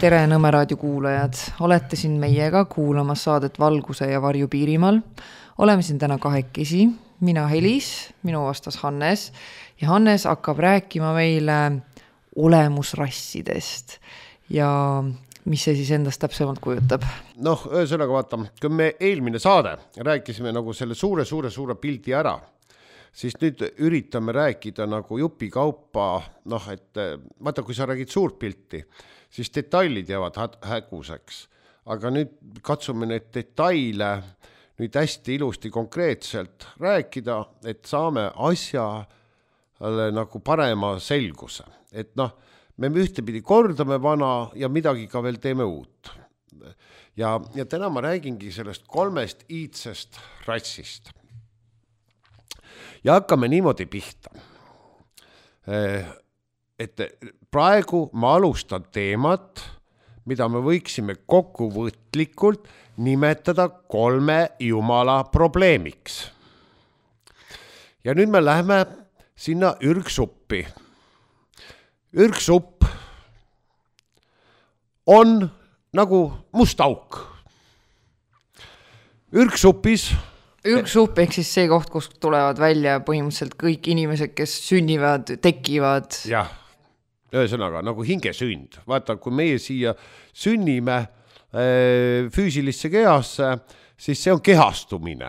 Tere Nõmme raadio kuulajad, olete siin meiega kuulamas saadet Valguse ja varju Piirimaal. Oleme siin täna kahekesi, mina Helis, minu vastas Hannes ja Hannes hakkab rääkima meile olemusrassidest ja mis see siis endast täpsemalt kujutab? Ühesõnaga vaata, kui me eelmine saade rääkisime nagu selle suure pildi ära, siis nüüd üritame rääkida nagu jupi kaupa, et vaata, kui sa räägid suurt pilti, siis detailid jäävad häguseks. Aga nüüd katsume need detaile nüüd hästi ilusti konkreetselt rääkida, et saame asjale nagu parema selguse. Et me ühtepidi kordame vana ja midagi ka veel teeme uut. Ja täna ma räägingi sellest 3 iidsest rassist. Ja hakkame niimoodi pihta. Et praegu ma alustan teemat, mida me võiksime kokkuvõtlikult nimetada 3 jumala probleemiks. Ja nüüd me lähme sinna ürgsuppi. Ürgsupp on nagu must auk. Ürgsupis Ürgsupp ehk siis see koht, kus tulevad välja põhimõtteliselt kõik inimesed, kes sünnivad, tekivad. Jah, ühesõnaga nagu hingesünd. Vaata, kui meie siia sünnime füüsilisse kehasse, siis see on kehastumine.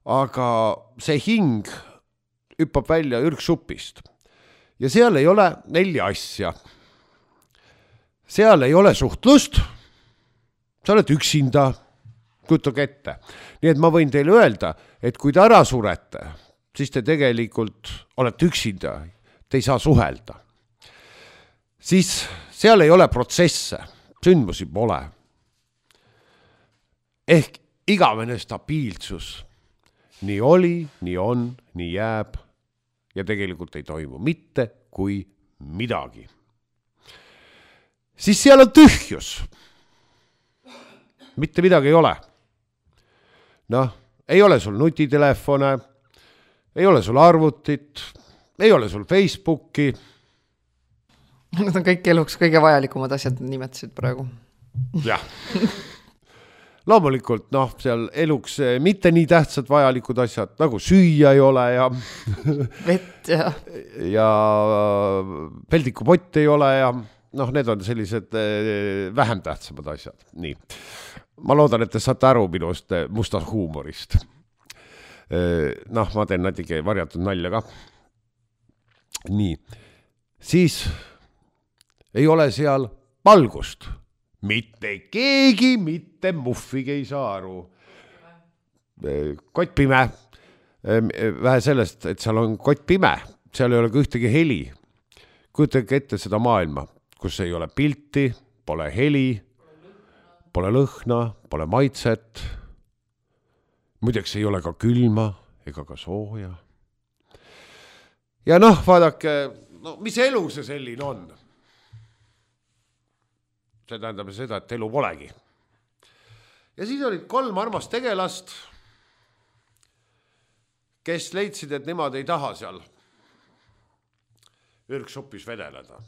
Aga see hing hüppab välja ürgsupist. Ja seal ei ole 4 asja. Seal ei ole suhtlust, sa oled üksinda, kujutage ette. Nii et ma võin teile öelda, et kui te ära surete, siis te tegelikult olete üksinda, te ei saa suhelda. Siis seal ei ole protsesse, sündmusi pole. Ehk igavene stabiilsus. Nii oli, nii on, nii jääb ja tegelikult ei toimu mitte kui midagi. Siis seal on tühjus. Mitte midagi ei ole. Ei ole sul nutitelefone, ei ole sul arvutit, ei ole sul Facebooki. Need on kõik eluks kõige vajalikumad asjad, nimetasid praegu. Jah. Loomulikult, seal eluks mitte nii tähtsad vajalikud asjad, nagu süüa ei ole ja vett ja peldikupott ei ole ja need on sellised vähem tähtsamad asjad. Nii. Ma loodan, et te saate aru minust mustast huumorist. Ma teen natuke varjatud nalja ka. Nii. Siis ei ole seal valgust. Mitte keegi, mitte muffigi ei saa aru. Kott pime. Vähe sellest, et seal on kott pime. Seal ei ole ka ühtegi heli. Kujutage ette seda maailma, kus ei ole pilti, pole heli, pole lõhna, pole maitset. Muideks ei ole ka külma ega ka sooja. Ja vaadake, mis elu see selline on? See tähendab seda, et elu polegi. Ja siis olid 3 armast tegelast, kes leidsid, et nemad ei taha seal ürgsupis vedeleda.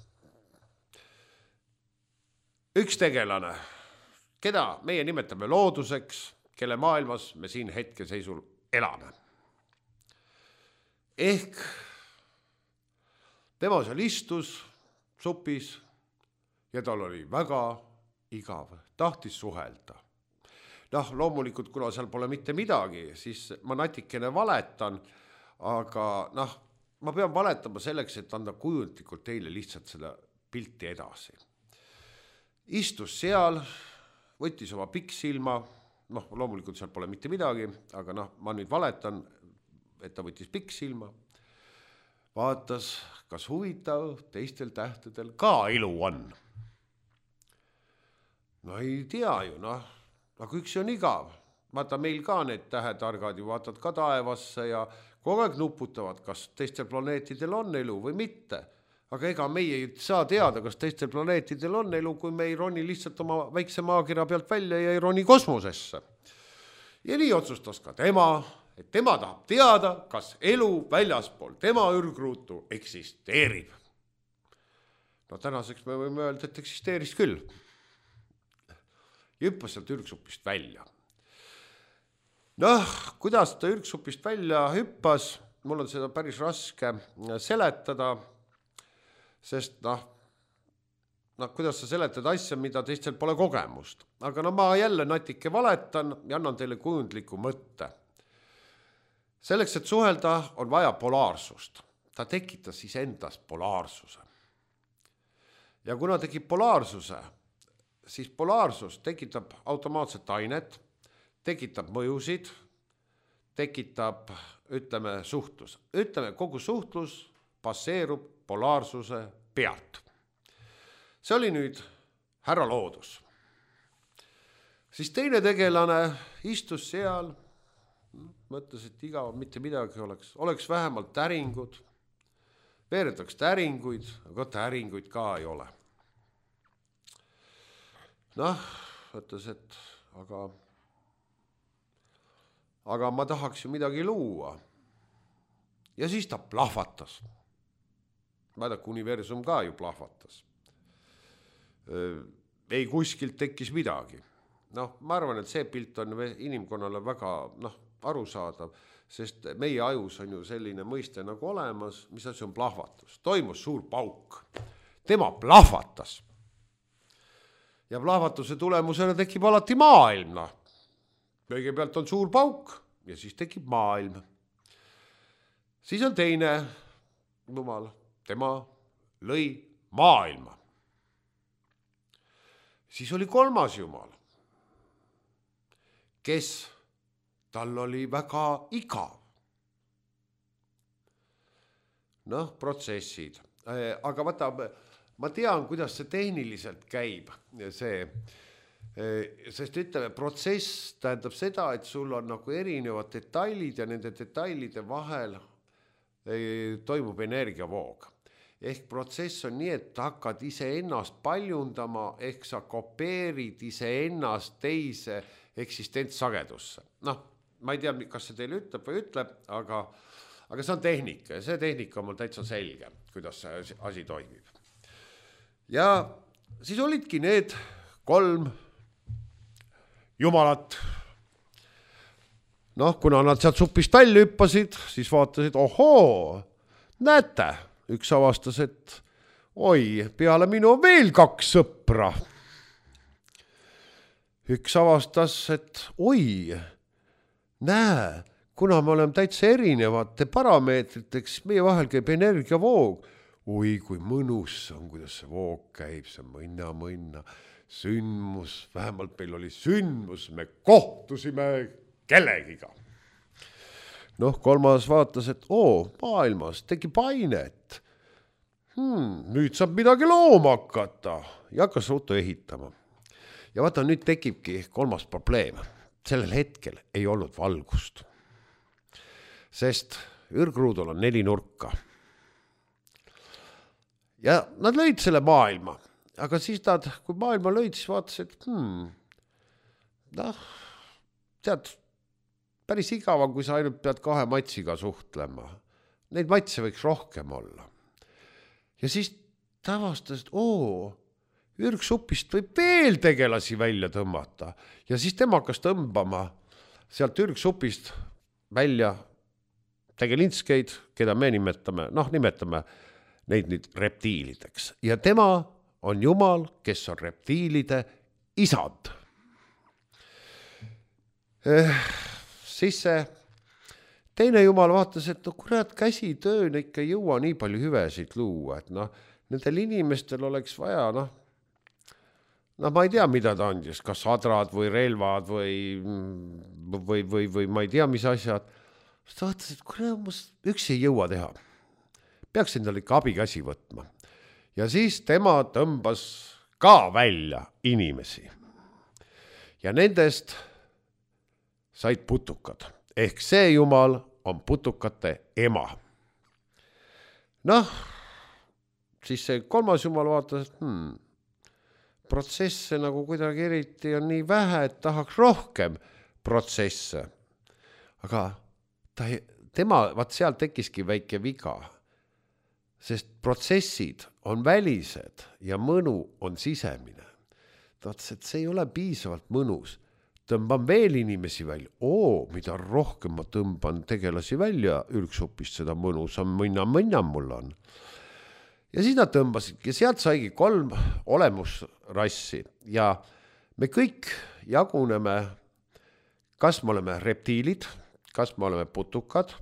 Üks tegelane, keda meie nimetame looduseks, kelle maailmas me siin hetkeseisul elame. Ehk tema seal istus supis ja tal oli väga igav, tahtis suhelda. Loomulikult, kuna seal pole mitte midagi, siis ma natikene valetan, aga ma pean valetama selleks, et anda kujundlikult teile lihtsalt seda pilti edasi. Istus seal, võttis oma pikksilma, loomulikult seal pole mitte midagi, aga ma nüüd valetan, et ta võttis pikksilma, vaatas, kas huvitav teistel tähtedel ka elu on. Ei tea ju, aga üks on igav. Vaata, meil ka need tähetargad ju vaatad ka taevasse ja kogu aeg nuputavad, kas teistel planeetidel on elu või mitte. Aga ega meie ei saa teada, kas teistel planeetidel on elu, kui me ei roni lihtsalt oma väikse maakera pealt välja ja ei roni kosmosesse. Ja nii otsustas ka tema, et tema tahab teada, kas elu väljaspool tema ürgruutu eksisteerib. No tänaseks me võime öelda, et eksisteeris küll. Ja hüppas sealt ürgsupist välja. Noh, kuidas ta ürgsupist välja hüppas, mul on seda päris raske seletada, sest kuidas sa seletad asja, mida teistel pole kogemust. Aga ma jälle natike valetan ja annan teile kujundliku mõtte. Selleks, et suhelda, on vaja polaarsust. Ta tekitas endas polaarsuse. Ja kuna tekib polaarsuse, siis polaarsus tekitab automaatset ainet, tekitab mõjusid, tekitab, suhtlus. Kogu suhtlus baseerub polaarsuse pealt. See oli nüüd härra loodus. Siis teine tegelane istus seal, mõtles, et igav mitte midagi oleks vähemalt täringud, veeretaks täringuid, aga täringuid ka ei ole. Mõtles, et aga ma tahaks ju midagi luua. Ja siis ta plahvatas. Vaadake, universum ka ju plahvatas. Ei kuskilt tekkis midagi. Ma arvan, et see pilt on inimkonnale väga arusaadav, sest meie ajus on ju selline mõiste nagu olemas, mis asi on plahvatus. Toimus suur pauk. Tema plahvatas. Ja plahvatuse tulemusena tekib alati maailm. Kõigepealt on suur pauk ja siis tekib maailm. Siis on teine jumal, tema lõi maailma. Siis oli kolmas jumal, kes tal oli väga igav. Protsessid. Aga vaata, ma tean, kuidas see tehniliselt käib. Sest protsess tähendab seda, et sul on nagu erinevad detailid ja nende detailide vahel toimub energiavoog. Ehk protsess on nii, et hakkad iseennast paljundama, ehk sa kopeerid iseennast teise eksistentsagedusse. Ma ei tea, kas see teile ütleb või ütleb, aga see on tehnika ja see tehnika on mul täitsa selge, kuidas see asi toimib. Ja siis olidki need 3 jumalat. Kuna nad sealt supist välja hüppasid, siis vaatasid, ohoo, näete, üks avastas, et oi, peale minu on veel 2 sõpra. Üks avastas, et oi, näe, kuna me oleme täitsa erinevate parameetriteks, meie vahel käib energiavoog. Oi, kui mõnus on, kuidas see voog käib, see mõnna, sündmus, vähemalt meil oli sündmus, me kohtusime kellegiga. Kolmas vaatas, et maailmas tekib ainet. Nüüd saab midagi looma hakata ja hakkas ruutu ehitama. Ja vaata, nüüd tekibki 3. probleem. Sellel hetkel ei olnud valgust. Sest ürgruudul on 4 nurka. Ja nad lõid selle maailma. Aga siis kui maailma lõid, siis vaatas, et tead, päris igav on, kui sa ainult pead 2 matsiga suhtlema. Neid matse võiks rohkem olla. Ja siis ta avastas, et ürgsupist võib veel tegelasi välja tõmmata. Ja siis tema hakkas tõmbama sealt ürgsupist välja tegelinskeid, keda me nimetame neid nüüd reptiilideks. Ja tema on jumal, kes on reptiilide isand. Siis see teine jumal vaatas, et kurat, käsitöön ikka ei jõua nii palju hüvesid luua, et nendel inimestel oleks vaja, ma ei tea, mida ta andis, kas sadrad või relvad või ma ei tea, mis asjad. Siis ta vaatas, et kurat, üks ei jõua teha. Peaks endale ikka abikäsi võtma. Ja siis tema tõmbas ka välja inimesi. Ja nendest said putukad. Ehk see jumal on putukate ema. Siis see 3. jumal vaatas, et protsesse nagu kuidagi eriti on nii vähe, et tahaks rohkem protsesse. Aga vaat seal tekkiski väike viga. sest protsessid on välised ja mõnu on sisemine. Ta ütles, et see ei ole piisavalt mõnus. Tõmban veel inimesi välja. Mida rohkem ma tõmban tegelasi välja ürgsupist, seda mõnusam mõnna mul on. Ja siis nad tõmbasidki, sealt saigi 3 olemusrassi ja me kõik jaguneme, kas me oleme reptiilid, kas me oleme putukad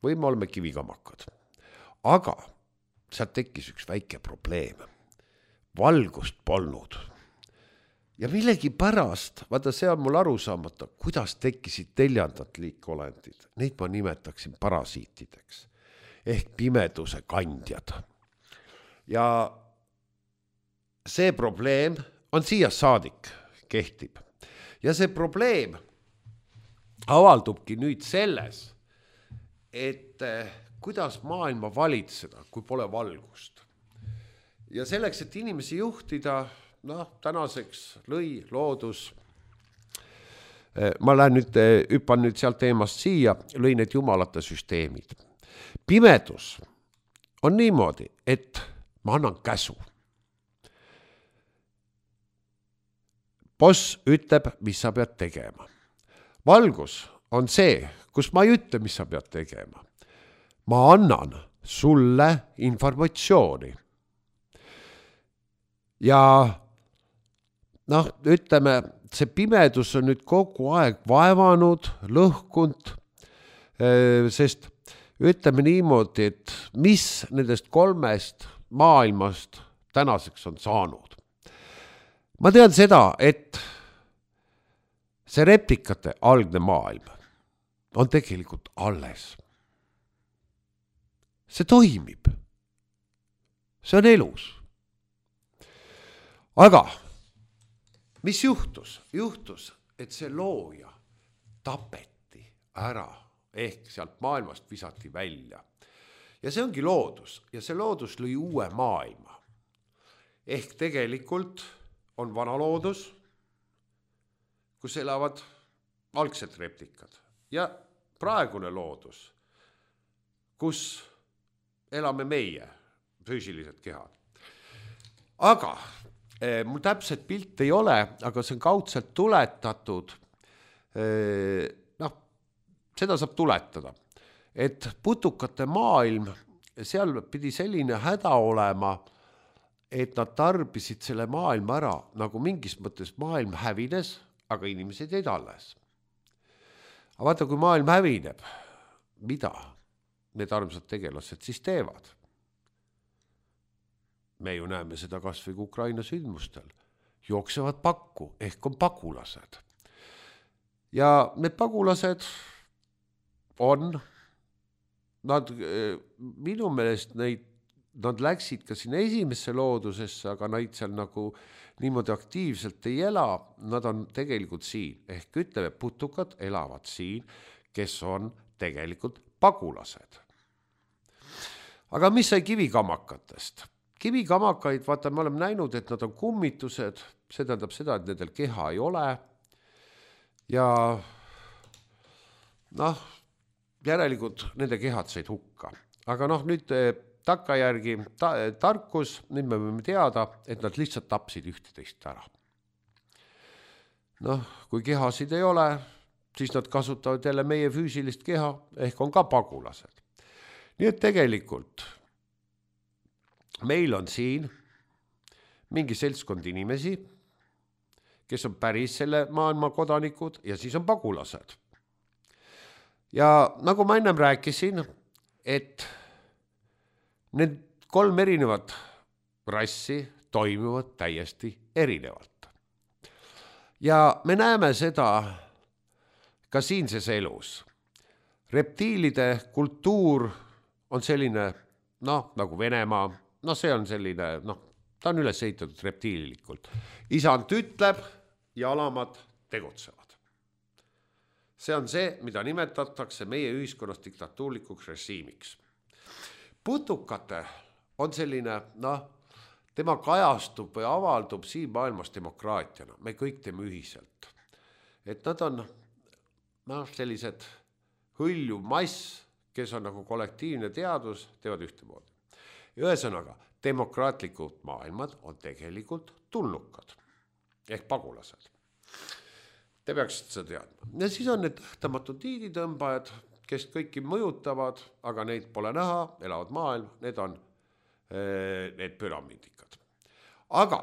või me oleme kivikamakad. Aga sealt tekkis üks väike probleem. Valgust polnud. Ja millegi pärast, vaata see on mul aru saamata, kuidas tekkisid 4. liikolendid. Neid ma nimetaksin parasiitideks ehk pimeduse kandjad. Ja see probleem on siia saadik kehtib. Ja see probleem avaldubki nüüd selles, et kuidas maailma valitseda, kui pole valgust. Ja selleks, et inimesi juhtida, tänaseks lõi loodus, ma lähen hüppan nüüd sealt teemast siia, lõi need jumalate süsteemid. Pimedus on niimoodi, et ma annan käsu. Boss ütleb, mis sa pead tegema. Valgus on see, kus ma ei ütle, mis sa pead tegema. Ma annan sulle informatsiooni. Ja ütleme, see pimedus on nüüd kogu aeg vaevanud, lõhkunud, sest ütleme niimoodi, et mis nendest 3 maailmast tänaseks on saanud. Ma tean seda, et see replikate algne maailm on tegelikult alles. See toimib. See on elus. Aga mis juhtus? Juhtus, et see looja tapeti ära ehk sealt maailmast visati välja. Ja see ongi loodus ja see loodus lõi uue maailma. Ehk tegelikult on vana loodus, kus elavad algsed replikad ja praegune loodus, kus elame meie füüsilised kehad. Aga mul täpselt pilt ei ole, aga see on kaudselt tuletatud. Seda saab tuletada, et putukate maailm, seal pidi selline häda olema, et nad tarbisid selle maailma ära, nagu mingis mõttes maailm hävines, aga inimesed jäid alles. Aga vaata, kui maailm hävineb, mida need armsad tegelased siis teevad? Me ju näeme seda kas või Ukraina sündmustel. Jooksevad pakku, ehk on pagulased. Ja need pagulased on, minu meelest nad läksid ka sinna esimesse loodusesse, aga neid seal nagu niimoodi aktiivselt ei ela, nad on tegelikult siin. Ehk ütleme, putukad elavad siin, kes on tegelikult pagulased. Aga mis sai kivikamakatest? Kivikamakaid, vaata, me oleme näinud, et nad on kummitused, see tähendab seda, et nendel keha ei ole. Ja järelikult nende kehad said hukka. Aga nüüd takkajärgi tarkus, nüüd me võime teada, et nad lihtsalt tapsid 11 ära. Kui kehasid ei ole, siis nad kasutavad jälle meie füüsilist keha, ehk on ka pagulased. Nii et tegelikult meil on siin mingi seltskond inimesi, kes on päris selle maailma kodanikud ja siis on pagulased. Ja nagu ma ennem rääkisin, et need 3 erinevat rassi toimivad täiesti erinevalt. Ja me näeme seda ka siinses elus. Reptiilide kultuur on selline, nagu Venemaa, see on selline, ta on üles ehitatud reptiililikult. Isand ütleb ja alamad tegutsevad. See on see, mida nimetatakse meie ühiskonnas diktatuurlikuks režiimiks. Putukate on selline, tema kajastub või avaldub siin maailmas demokraatiana. Me kõik teeme ühiselt. Et nad on sellised hõljuv mass, kes on nagu kollektiivne teadus, teevad ühtemoodi. Ühesõnaga, demokraatlikud maailmad on tegelikult tulnukad ehk pagulased. Te peaksite seda teadma. Ja siis on need tähtamatud tiiditõmbajad, kes kõiki mõjutavad, aga neid pole näha, elavad maailm, need on need püramiidikad. Aga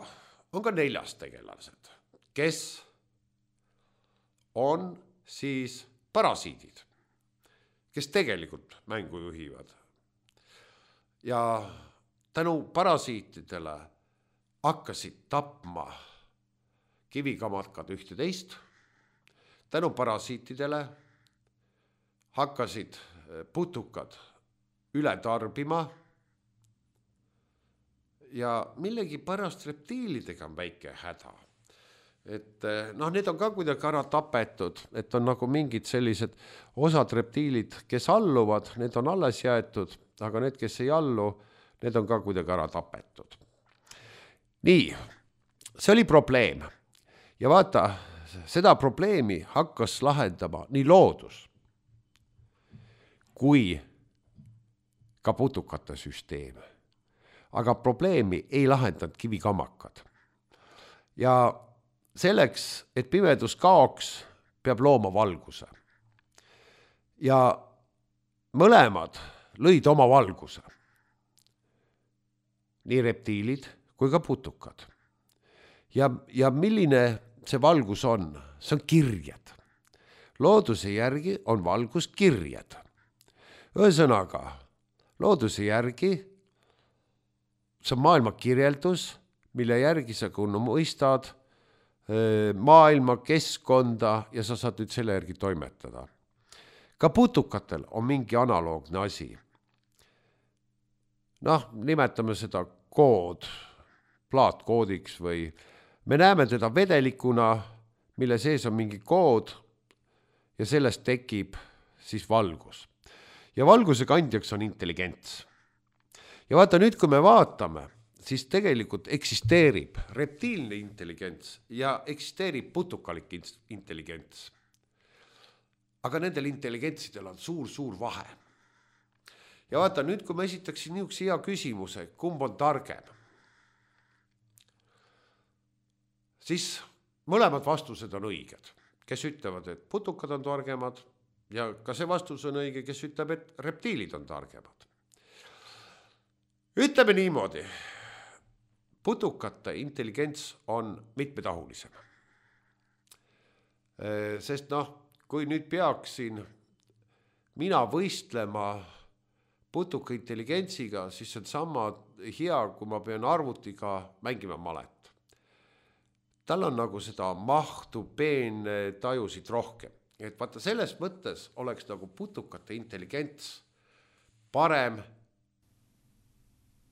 on ka 4. tegelased, kes on siis parasiidid, kes tegelikult mängu juhivad. Ja tänu parasiitidele hakkasid tapma kivikamatkad 11, tänu parasiitidele hakkasid putukad üle tarbima ja millegi pärast reptiilidega on väike häda. Et need on ka kuidagi ära tapetud, et on nagu mingid sellised osad reptiilid, kes alluvad, need on alles jäetud, aga need, kes ei allu, need on ka kuidagi ära tapetud. Nii, see oli probleem. Ja vaata, seda probleemi hakkas lahendama nii loodus kui ka putukate süsteem. Aga probleemi ei lahendanud kivikamakkad. Ja selleks, et pimedus kaoks, peab looma valguse. Ja mõlemad lõid oma valguse. Nii reptiilid kui ka putukad. Ja milline see valgus on? See on kirjed. Looduse järgi on valgus kirjed. Ühesõnaga, looduse järgi see on maailma kirjeldus, mille järgi sa kun mõistad maailma, keskkonda ja sa saad nüüd selle järgi toimetada. Ka putukatel on mingi analoogne asi. Nimetame seda kood, plaatkoodiks või me näeme teda vedelikuna, mille sees on mingi kood ja sellest tekib siis valgus. Ja valguse kandjaks on intelligents. Ja vaata nüüd, kui me vaatame, siis tegelikult eksisteerib reptiilne intelligents ja eksisteerib putukalik intelligents. Aga nendel intelligentsidel on suur vahe. Ja vaata nüüd, kui ma esitaksin niisuguse hea küsimuse, kumb on targem, siis mõlemad vastused on õiged. Kes ütlevad, et putukad on targemad ja ka see vastus on õige, kes ütleb, et reptiilid on targemad. Ütleme niimoodi, putukate intelligents on mitmetahulisem. Sest kui nüüd peaksin mina võistlema putuka intelligentsiga, siis see on sama hea, kui ma pean arvutiga mängima malet. Tal on nagu seda mahtu, peene tajusid rohkem. Et vaata, selles mõttes oleks nagu putukate intelligents parem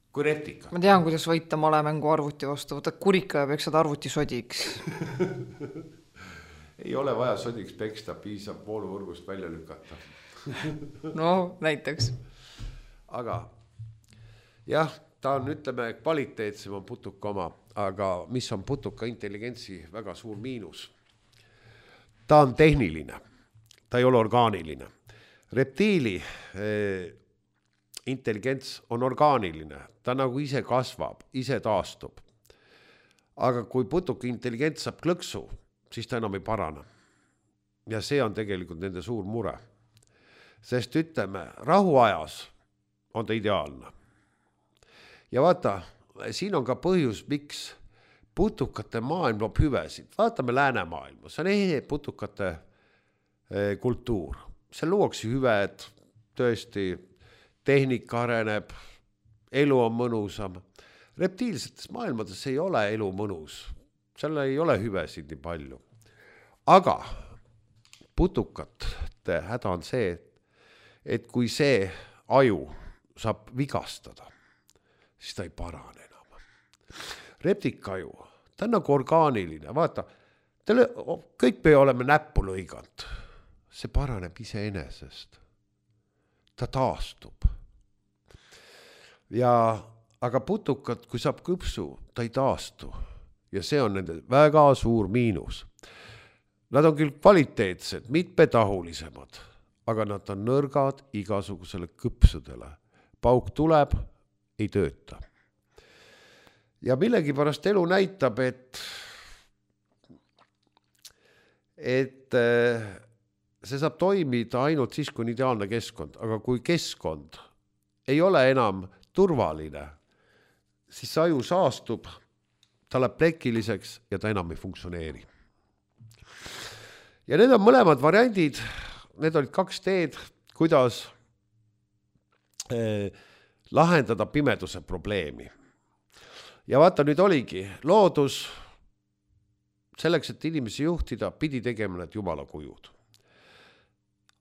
kui reptika. Ma tean, kuidas võita malemängu arvuti vastu. Võta kurika ja peksad arvuti sodiks. Ei ole vaja sodiks peksta, piisab vooluvõrgust välja lükata. No, näiteks. Aga jah, ta on, ütleme, kvaliteetsem on putuka oma, aga mis on putuka intelligentsi väga suur miinus? Ta on tehniline, ta ei ole orgaaniline. Reptiili intelligents on orgaaniline, ta nagu ise kasvab, ise taastub. Aga kui putuka intelligents saab klõksu, siis ta enam ei parane. Ja see on tegelikult nende suur mure. Sest ütleme, rahuajas on ta ideaalne. Ja vaata, siin on ka põhjus, miks putukate maailm loob hüvesid. Vaatame läänemaailma, see on ehe putukate kultuur. Seal luuakse hüved, tõesti tehnika areneb, elu on mõnusam. Reptiilsetes maailmades ei ole elu mõnus, seal ei ole hüvesid nii palju. Aga putukate häda on see, et kui see aju saab vigastada, siis ta ei parane enam. Reptikaju, ta on nagu orgaaniline, vaata, kõik me oleme näppu lõiganud, see paraneb iseenesest, ta taastub. Aga putukad, kui saab kõpsu, ta ei taastu ja see on nende väga suur miinus. Nad on küll kvaliteetsed, mitmetahulisemad, aga nad on nõrgad igasugusele kõpsudele. Pauk tuleb ei tööta. Ja millegipärast elu näitab, et see saab toimida ainult siis, kui on ideaalne keskkond, aga kui keskkond ei ole enam turvaline, siis see aju saastub, ta läheb plekiliseks ja ta enam ei funktsioneeri. Ja need on mõlemad variandid, need olid 2 teed, kuidas lahendada pimeduse probleemi. Ja vaata, nüüd oligi loodus, selleks, et inimesi juhtida, pidi tegema need jumala kujud.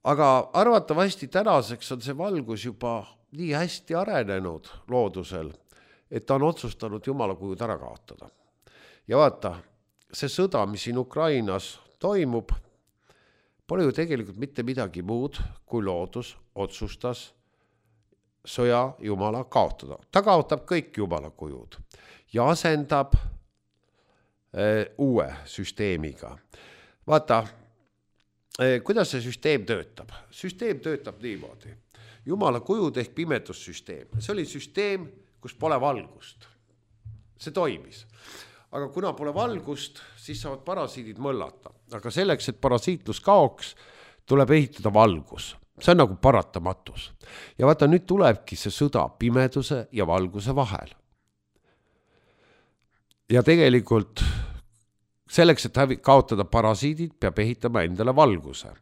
Aga arvatavasti tänaseks on see valgus juba nii hästi arenenud loodusel, et ta on otsustanud jumala kujud ära kaotada. Ja vaata, see sõda, mis siin Ukrainas toimub, pole ju tegelikult mitte midagi muud, kui loodus otsustas sõja jumala kaotada. Ta kaotab kõik jumala kujud ja asendab uue süsteemiga. Vaata, kuidas see süsteem töötab? Süsteem töötab niimoodi. Jumala kujud ehk pimedussüsteem. See oli süsteem, kus pole valgust. See toimis. Aga kuna pole valgust, siis saavad parasiidid mõllata. Aga selleks, et parasiitlus kaoks, tuleb ehitada valgus. See on nagu paratamatus. Ja vaata, nüüd tulebki see sõda pimeduse ja valguse vahel. Ja tegelikult selleks, et kaotada parasiidid, peab ehitama endale valguse.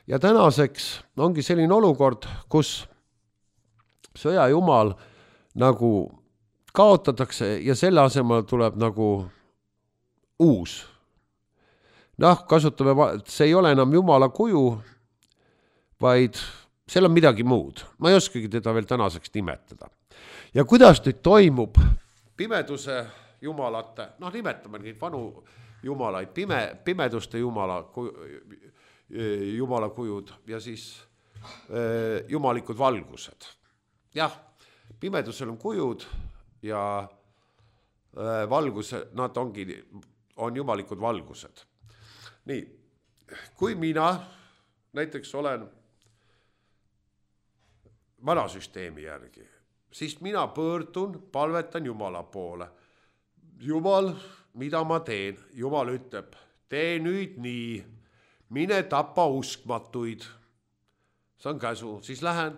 Ja tänaseks ongi selline olukord, kus sõja jumal nagu kaotatakse ja selle asemel tuleb nagu uus. Kasutame, see ei ole enam jumala kuju, vaid seal on midagi muud. Ma ei oskagi teda veel tänaseks nimetada. Ja kuidas nüüd toimub pimeduse jumalate, nimetame neid vanu jumalaid, pimeduste jumala kujud ja siis jumalikud valgused. Jah, pimedusel on kujud ja valguse, nad on jumalikud valgused. Nii, kui mina näiteks olen vana süsteemi järgi, siis mina pöördun, palvetan Jumala poole. Jumal, mida ma teen? Jumal ütleb, tee nüüd nii, mine tapa uskmatuid. See on käsu, siis lähen,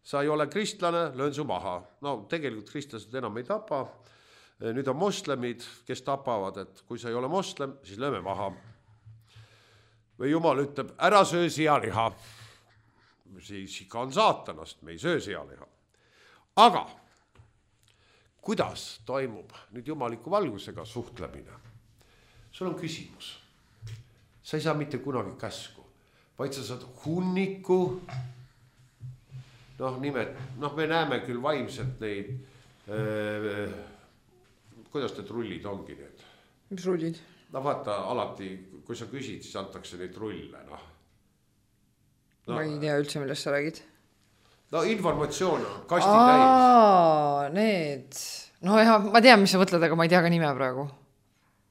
sa ei ole kristlane, löön su maha. Tegelikult kristlased enam ei tapa. Nüüd on moslemid, kes tapavad, et kui sa ei ole moslem, siis lööme maha. Või Jumal ütleb, ära söö sealiha. Siis ikka on saatanast, me ei söö sealiha. Aga kuidas toimub nüüd jumaliku valgusega suhtlemine? Sul on küsimus. Sa ei saa mitte kunagi käsku, vaid sa saad hunniku. Me näeme küll vaimselt neid, kuidas need rullid ongi need? Mis rullid? Vaata, alati, kui sa küsid, siis antakse neid rulle. Ma ei tea üldse, millest sa räägid. Informatsioon on kasti täis. Need. Ma tean, mis sa mõtled, aga ma ei tea ka nime praegu.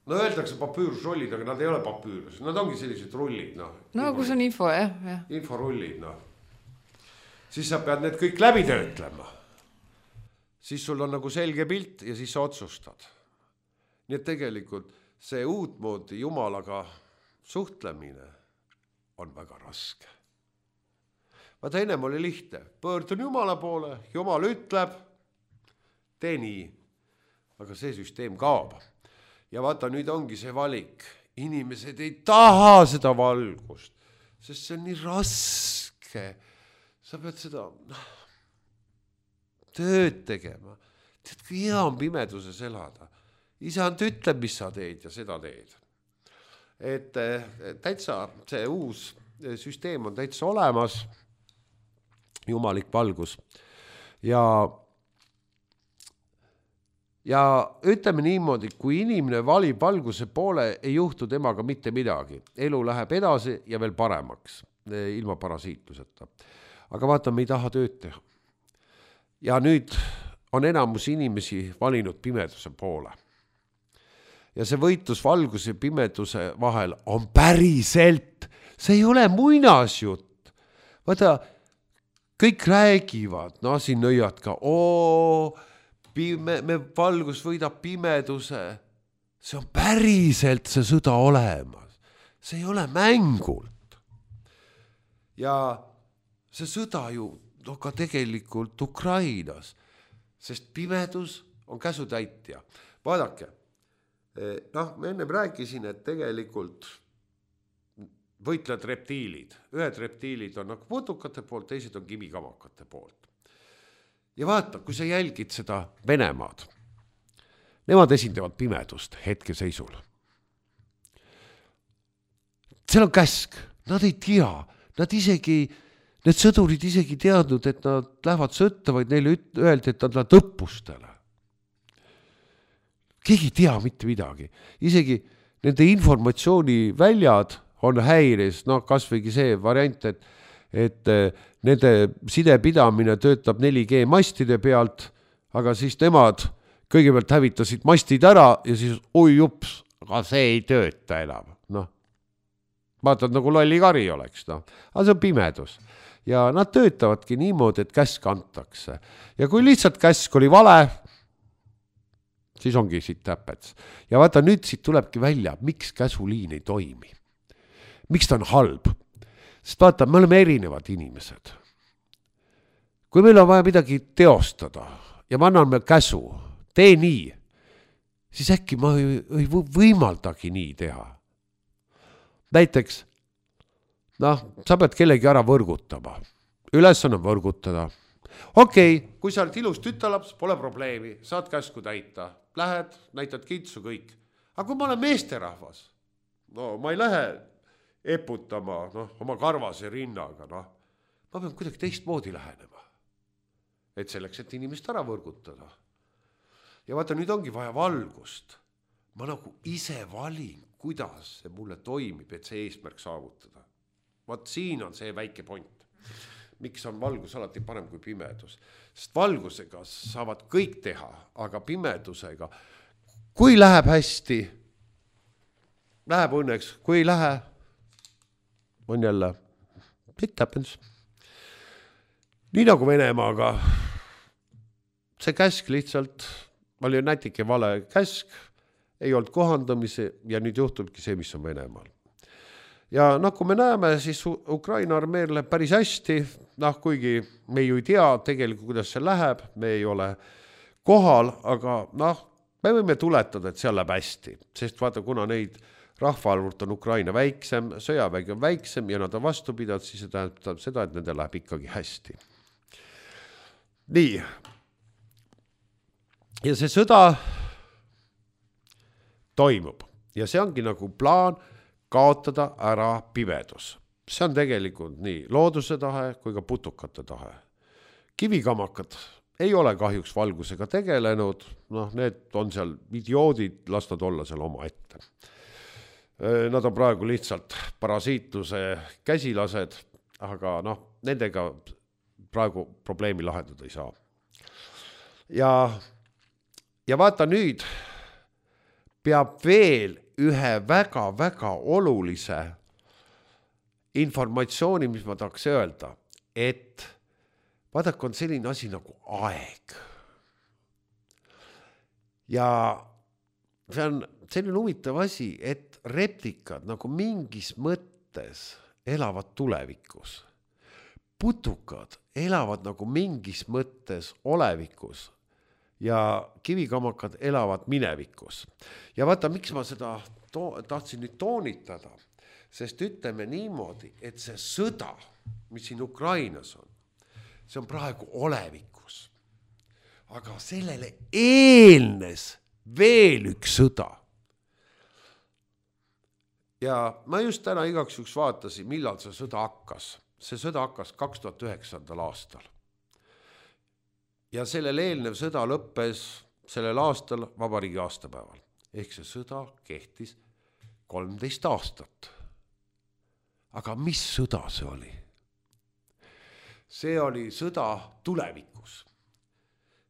Öeldakse papüürusrullid, aga nad ei ole papüürus. Nad ongi sellised rullid. Kus on info, jah. Inforullid, Siis sa pead need kõik läbi töötlema. Siis sul on nagu selge pilt ja siis sa otsustad. Nii et tegelikult see uutmoodi Jumalaga suhtlemine on väga raske. Vaata, ennem oli lihtne. Pöördun Jumala poole, Jumal ütleb, tee nii. Aga see süsteem kaob. Ja vaata, nüüd ongi see valik. Inimesed ei taha seda valgust, sest see on nii raske. Sa pead seda tööd tegema. Tead, kui hea on pimeduses elada. Isand ütleb, mis sa teed ja seda teed. Et täitsa see uus süsteem on täitsa olemas. Jumalik valgus. Ja ütleme niimoodi, kui inimene valib valguse poole, ei juhtu temaga mitte midagi. Elu läheb edasi ja veel paremaks, ilma parasiitluseta. Aga vaata, me ei taha tööd teha. Ja nüüd on enamus inimesi valinud pimeduse poole. Ja see võitlus valguse ja pimeduse vahel on päriselt. See ei ole muinasjutt. Vaata, kõik räägivad, siin nõiad ka, me valgus võidab pimeduse. See on päriselt see sõda olemas. See ei ole mängult. Ja see sõda ju ka tegelikult Ukrainas, sest pimedus on käsutäitja. Vaadake, ma ennem rääkisin, et tegelikult võitled reptiilid. Ühed reptiilid on nagu putukate poolt, teised on kivikamakate poolt. Ja vaata, kui sa jälgid seda Venemaad, nemad esindavad pimedust hetkeseisul. Seal on käsk, nad ei tea, need sõdurid isegi teadnud, et nad lähevad sõtta, vaid neile öeldi, et nad lähevad õppustele. Keegi ei tea mitte midagi. Isegi nende informatsiooni väljad on häires, kas võigi see variant, et nende sidepidamine töötab 4G mastide pealt, aga siis nemad kõigepealt hävitasid mastid ära ja siis jups, aga see ei tööta enam. Vaatad nagu lolli kari oleks, aga see on pimedus. Ja nad töötavadki niimoodi, et käsk antakse. Ja kui lihtsalt käsk oli vale, siis ongi siit täpets. Ja vaata, nüüd siit tulebki välja, miks käsuliin ei toimi. Miks ta on halb? Sest vaata, me oleme erinevad inimesed. Kui meil on vaja midagi teostada ja ma annan meil käsu, tee nii, siis äkki ma ei võimaldagi nii teha. Näiteks, sa pead kellegi ära võrgutama. Ülesanne on võrgutada. Okei, kui sa oled ilus tütalaps, pole probleemi, saad käsku täita. Lähed, näitad kintsu kõik. Aga kui ma olen meesterahvas, ma ei lähe eputama oma karvase rinnaga. Ma pean kuidagi teistmoodi lähenema. Et selleks, et inimest ära võrgutada. Ja vaata, nüüd ongi vaja valgust. Ma nagu ise valin, kuidas see mulle toimib, et see eesmärk saavutada. Vaat siin on see väike point. Miks on valgus alati parem kui pimedus? Sest valgusega saavad kõik teha, aga pimedusega, kui läheb hästi, läheb õnneks, kui ei lähe, on jälle it happens. Nii nagu Venemaaga, see käsk lihtsalt oli nätike vale käsk, ei olnud kohandamise ja nüüd juhtubki see, mis on Venemaal. Ja kui me näeme, siis Ukraina armeel läheb päris hästi, kuigi me ju ei tea tegelikult, kuidas see läheb, me ei ole kohal, aga me võime tuletada, et seal läheb hästi, sest vaata, kuna neid rahvaarvult on Ukraina väiksem, sõjavägi on väiksem ja nad on vastu pidanud, siis see tähendab seda, et nende läheb ikkagi hästi. Nii. Ja see sõda toimub ja see ongi nagu plaan kaotada ära pimedus. See on tegelikult nii looduse tahe kui ka putukate tahe. Kivikamakad ei ole kahjuks valgusega tegelenud, need on seal idioodid, las nad olla seal oma ette. Nad on praegu lihtsalt parasiitluse käsilased, aga nendega praegu probleemi lahendada ei saa. Ja vaata nüüd peab veel ühe väga-väga olulise informatsiooni, mis ma tahaks öelda, et vaadake, on selline asi nagu aeg. Ja see on selline huvitav asi, et replikad nagu mingis mõttes elavad tulevikus. Putukad elavad nagu mingis mõttes olevikus ja kivikamakad elavad minevikus. Ja vaata, miks ma seda tahtsin nüüd toonitada, sest ütleme niimoodi, et see sõda, mis siin Ukrainas on, see on praegu olevikus. Aga sellele eelnes veel üks sõda. Ja ma just täna igaks juhuks vaatasin, millal see sõda hakkas. See sõda hakkas 2009. aastal. Ja sellel eelnev sõda lõppes sellel aastal vabariigi aastapäeval. Ehk see sõda kehtis 13 aastat. Aga mis sõda see oli? See oli sõda tulevikus.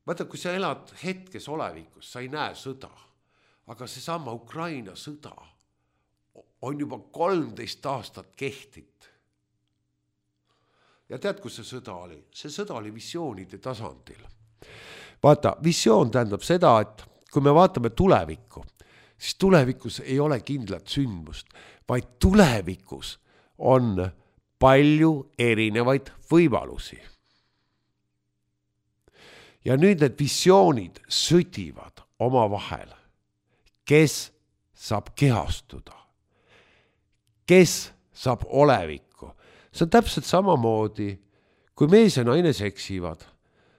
Vaata, kui sa elad hetkes olevikus, sa ei näe sõda. Aga seesama Ukraina sõda on juba 13 aastat kehtit. ja tead, kus see sõda oli? See sõda oli visioonide tasandil. Vaata, visioon tähendab seda, et kui me vaatame tulevikku, siis tulevikus ei ole kindlat sündmust, vaid tulevikus on palju erinevaid võimalusi. Ja nüüd need visioonid sõdivad oma vahel. Kes saab kehastuda? Kes saab olevikku? See on täpselt samamoodi, kui mees ja naine seksivad,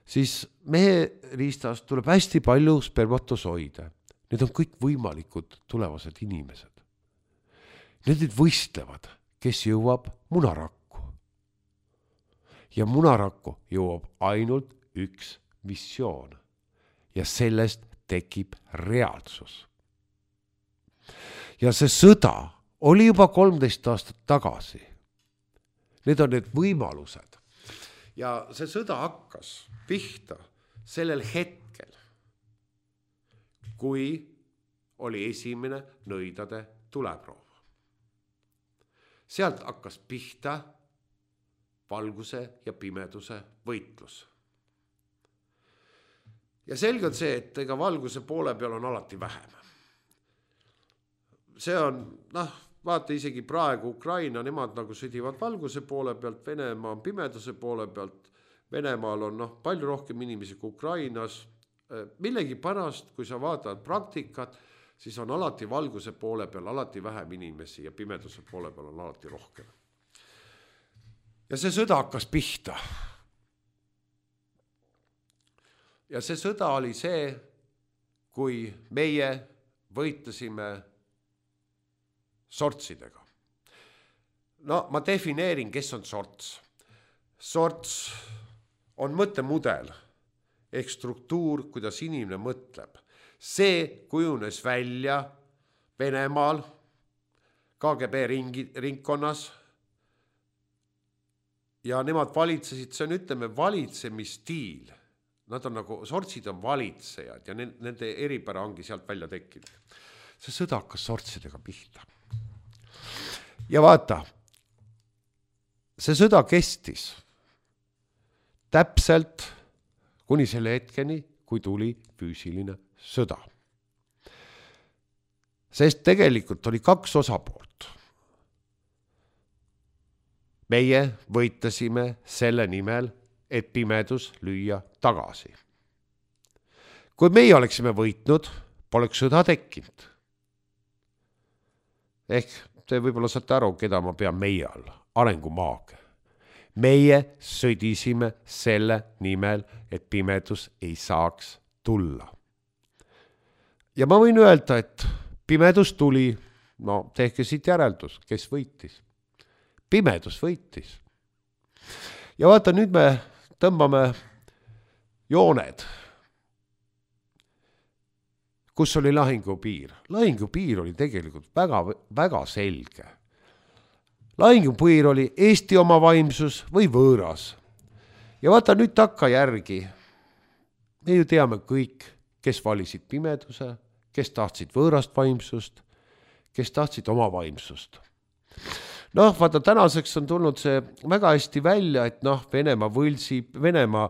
siis mehe riistast tuleb hästi palju spermatosoide. Need on kõik võimalikud tulevased inimesed. Need võistlevad, kes jõuab munarakku. Ja munarakku jõuab ainult üks visioon. Ja sellest tekib reaalsus. Ja see sõda oli juba 13 aastat tagasi. Need on need võimalused. Ja see sõda hakkas pihta sellel hetkel, kui oli esimene nõidade tuleproov. Sealt hakkas pihta valguse ja pimeduse võitlus. Ja selge on see, et ega valguse poole peal on alati vähem. See on, vaata isegi praegu Ukraina, nemad nagu sõdivad valguse poole pealt, Venemaa on pimeduse poole pealt, Venemaal on palju rohkem inimesi kui Ukrainas. Millegi pärast, kui sa vaatad praktikat, siis on alati valguse poole peal alati vähem inimesi ja pimeduse poole peal on alati rohkem. Ja see sõda hakkas pihta. Ja see sõda oli see, kui meie võitlesime sortsidega. Ma defineerin, kes on sorts. Sorts on mõttemudel ehk struktuur, kuidas inimene mõtleb. See kujunes välja Venemaal, KGB ringkonnas ja nemad valitsesid, see on ütleme valitsemisstiil. Nad on nagu, sortsid on valitsejad ja nende eripära ongi sealt välja tekkinud. See sõda hakkas sortsidega pihta. Ja vaata, see sõda kestis täpselt kuni selle hetkeni, kui tuli füüsiline sõda. Sest tegelikult oli 2 osapoolt. Meie võitlesime selle nimel, et pimedus lüüa tagasi. Kui meie oleksime võitnud, poleks sõda tekkinud. Ehk te võib-olla saate aru, keda ma pean meie all, arengumaag. Meie sõdisime selle nimel, et pimedus ei saaks tulla. Ja ma võin öelda, et pimedus tuli, tehke siit järeldus, kes võitis. Pimedus võitis. Ja vaata, nüüd me tõmbame jooned, kus oli lahingupiir. Lahingupiir oli tegelikult väga, väga selge. Lahingupiir oli Eesti oma vaimsus või võõras. Ja vaata nüüd takka järgi. Me ju teame kõik, kes valisid pimeduse, kes tahtsid võõrast vaimsust, kes tahtsid oma vaimsust. Vaata, tänaseks on tulnud see väga hästi välja, et Venemaa võlsib, Venemaa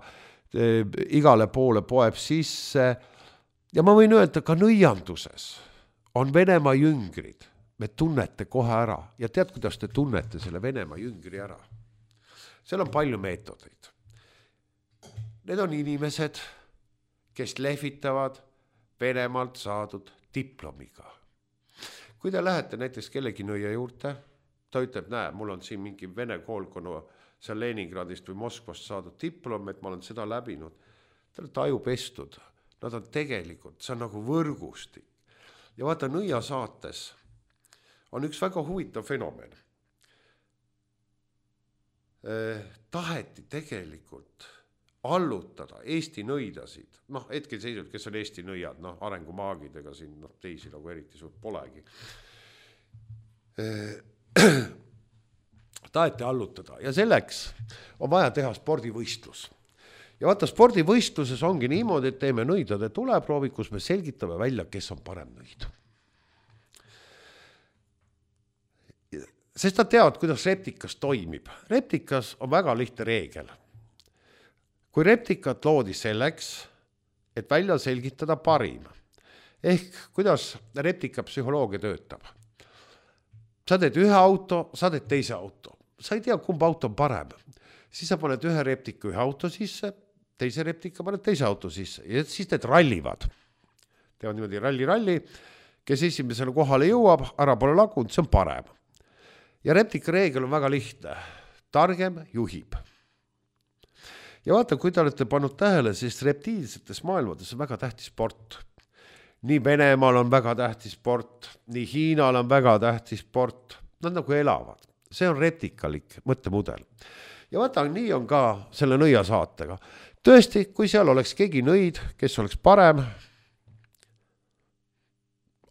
igale poole poeb sisse. Ja ma võin öelda, ka nõianduses on Venemaa jüngrid. Me tunnete kohe ära. Ja tead, kuidas te tunnete selle Venemaa jüngri ära? Seal on palju meetodeid. Need on inimesed, kes lehvitavad Venemaalt saadud diplomiga. Kui te lähete näiteks kellegi nõia juurde, ta ütleb, mul on siin mingi Vene koolkonna seal Leningradist või Moskvast saadud diplom, et ma olen seda läbinud. Te olete aju pestud. Nad on tegelikult, see on nagu võrgustik. Ja vaata, nõia saates on üks väga huvitav fenomen. Taheti tegelikult allutada Eesti nõidasid. Hetkel seisud, kes on Eesti nõiad, arengumaagidega siin, teisi nagu eriti suurt polegi. Taheti allutada ja selleks on vaja teha spordivõistlus. Ja vaata, spordivõistluses ongi niimoodi, et teeme nõidade tuleproovi, kus me selgitame välja, kes on parem nõid. sest nad teavad, kuidas reptikas toimib. Reptikas on väga lihtne reegel. Kui reptikat loodi selleks, et välja selgitada parim, ehk kuidas reptika psühholoogia töötab. Sa teed ühe auto, sa teed teise auto. Sa ei tea, kumb auto on parem. Siis sa paned ühe reptika ühe auto sisse, teise reptika paned teise auto sisse ja siis need rallivad. Teevad niimoodi ralli, kes esimesele kohale jõuab, ära pole lagunud, see on parem. Ja reptika reegel on väga lihtne. Targem juhib. Ja vaata, kui te olete pannud tähele, siis reptiilsetes maailmades on väga tähtis sport. Nii Venemaal on väga tähtis sport, nii Hiinal on väga tähtis sport. Nad nagu elavad. See on reptikalik mõttemudel. Ja vaata, nii on ka selle nõiasaatega. Tõesti, kui seal oleks keegi nõid, kes oleks parem,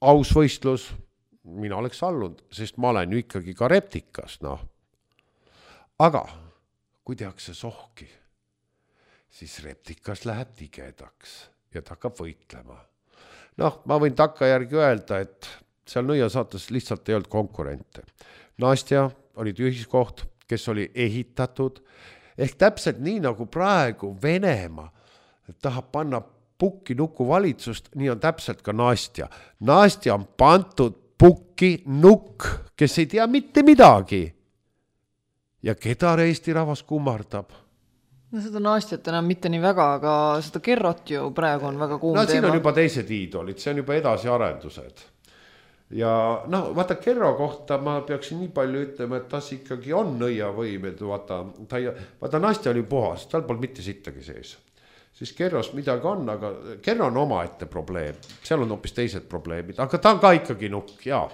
aus võistlus, mina oleks allunud, sest ma olen ju ikkagi ka reptikas. No. Aga kui tehakse sohki, siis reptikas läheb tigedaks ja ta hakkab võitlema. Noh, ma võin takkajärgi öelda, et seal nõiasaates lihtsalt ei olnud konkurente. Nastja oli tühiskoht, kes oli ehitatud, ehk täpselt nii nagu praegu Venemaa tahab panna pukki nuku valitsust, nii on täpselt ka Nastja. Nastja on pantud pukki nukk, kes ei tea mitte midagi. Ja keda Eesti rahvas kummardab? No seda Nastjat enam mitte nii väga, aga seda Kerrot ju praegu on väga kuum teema. Siin on juba teised iidolid, see on juba edasiarendused. Ja vaata Kerro kohta ma peaksin nii palju ütlema, et tas ikkagi on nõiavõim, et vaata Nastja oli puhas, tal polnud mitte sittagi sees. Siis Kerros midagi on, aga Kerro on omaette probleem, seal on hoopis teised probleemid, aga ta on ka ikkagi nukk, jaa.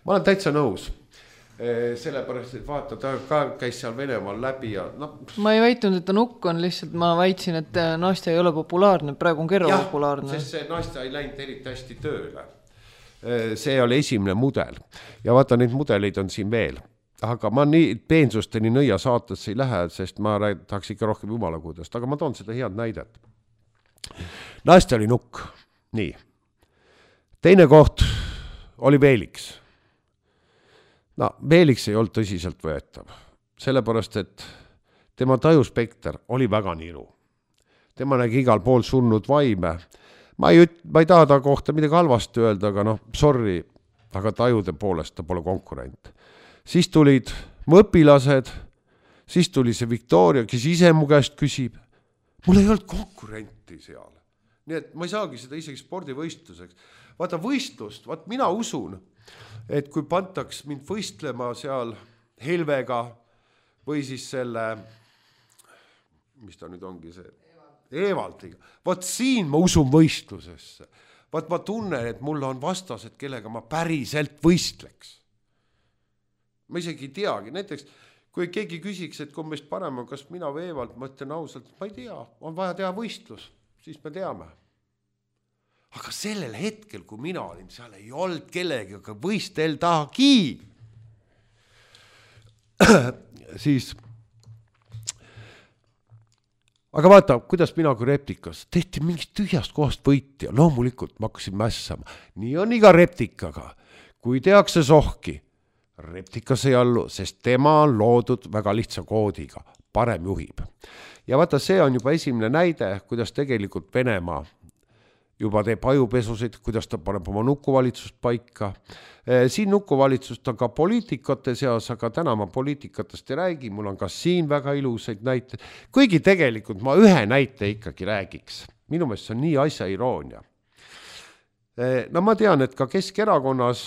Ma olen täitsa nõus. Sellepärast, et vaata, ta ka käis seal Venemaal läbi ja Ma ei väitnud, et ta nukk on, lihtsalt ma väitsin, et Nastja ei ole populaarne, praegu on Kerro populaarne. Sest see Nastja ei läinud eriti hästi tööle. See oli esimene mudel ja vaata, neid mudeleid on siin veel. Aga ma nii peensusteni nõia saatesse ei lähe, sest ma tahaks ikka rohkem jumalakudest, aga ma toon seda head näidet. Nastja oli nukk, nii. Teine koht oli Veeliks. Veeliks ei olnud tõsiselt võetav, sellepärast, et tema tajuspekter oli väga niru. Tema nägi igal pool surnud vaime. Ma ei taha ta kohta midagi halvasti öelda, aga sorry, aga tajude poolest ta pole konkurent. Siis tulid mu õpilased, siis tuli see Victoria, kes ise mu käest küsib. Mul ei olnud konkurenti seal. Nii et ma ei saagi seda isegi spordivõistluseks. Vaata võistlust, mina usun, et kui pantaks mind võistlema seal Helvega või siis selle, mis ta nüüd ongi see, Eevaldiga. Vaat siin ma usun võistlusesse. Vaat ma tunnen, et mul on vastased, kellega ma päriselt võistleks. Ma isegi ei teagi. Näiteks, kui keegi küsiks, et kui meist parem on, kas mina või Eevald, ma ütlen ausalt, ma ei tea, on vaja teha võistlus, siis me teame. Aga sellel hetkel, kui mina olin, seal ei olnud kellegi, aga võisteldagi. Siis. Aga vaata, kuidas mina kui reptikas tehti mingist tühjast kohast võitja. Loomulikult ma hakkasin mässama. Nii on iga reptikaga. Kui tehakse sohki, reptikas ei allu, sest tema on loodud väga lihtsa koodiga. Parem juhib. Ja vaata, see on juba esimene näide, kuidas tegelikult Venemaa juba teeb ajupesusid, kuidas ta paneb oma nukuvalitsust paika. Siin nukuvalitsust on ka poliitikate seas, aga täna ma poliitikatest ei räägi, mul on ka siin väga ilusaid näiteid. Kuigi tegelikult ma ühe näite ikkagi räägiks. Minu meelest see on nii asja iroonia. Ma tean, et ka Keskerakonnas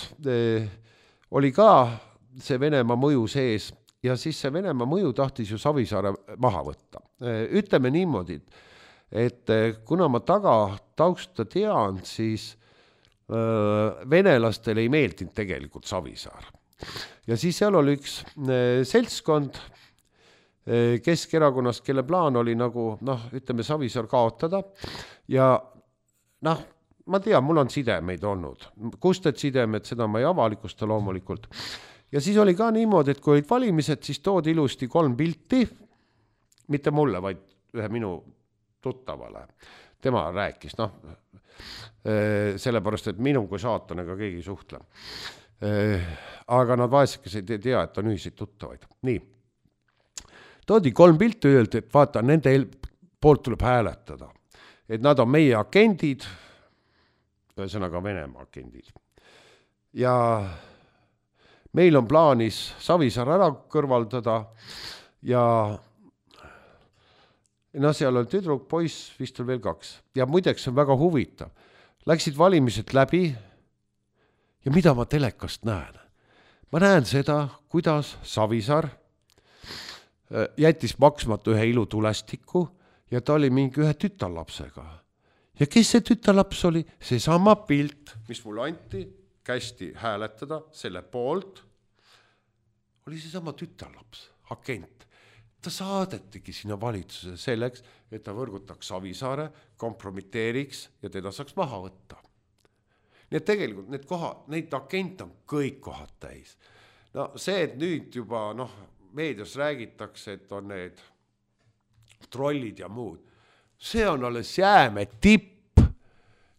oli ka see Venemaa mõju sees ja siis see Venemaa mõju tahtis ju Savisaare maha võtta. Ütleme niimoodi, et kuna ma tausta tean, siis venelastel ei meeldinud tegelikult Savisaar. Ja siis seal oli üks seltskond Keskerakonnast, kelle plaan oli nagu, ütleme Savisaar kaotada ja ma tean, mul on sidemeid olnud. Kust need sidemed, seda ma ei avalikusta loomulikult. Ja siis oli ka niimoodi, et kui olid valimised, siis toodi ilusti 3 pilti, mitte mulle, vaid ühe minu tuttavale. Tema rääkis, sellepärast, et minu kui saatanaga keegi suhtle. Aga nad vaesekesed ei tea, et on ühiseid tuttavaid. Nii. Toodi 3 pilti, öeldi, et vaata, nende poolt tuleb hääletada. Et nad on meie agendid, ühesõnaga Venemaa agendid. Ja meil on plaanis Savisaar ära kõrvaldada ja seal on tüdruk, poiss, vist on veel 2. Ja muideks on väga huvitav. Läksid valimised läbi ja mida ma telekast näen? Ma näen seda, kuidas Savisaar jättis maksmata ühe ilutulestiku ja ta oli mingi ühe tütarlapsega. Ja kes see tütarlaps oli? See sama pilt, mis mulle anti, kästi hääletada selle poolt, oli see sama tütarlaps, agent. Ta saadetigi sinna valitsuse selleks, et ta võrgutaks Savisaare, kompromiteeriks ja teda saaks maha võtta. Nii et tegelikult neid agente on kõik kohad täis. No see, et nüüd juba meedias räägitakse, et on need trollid ja muud, see on alles jääme tipp.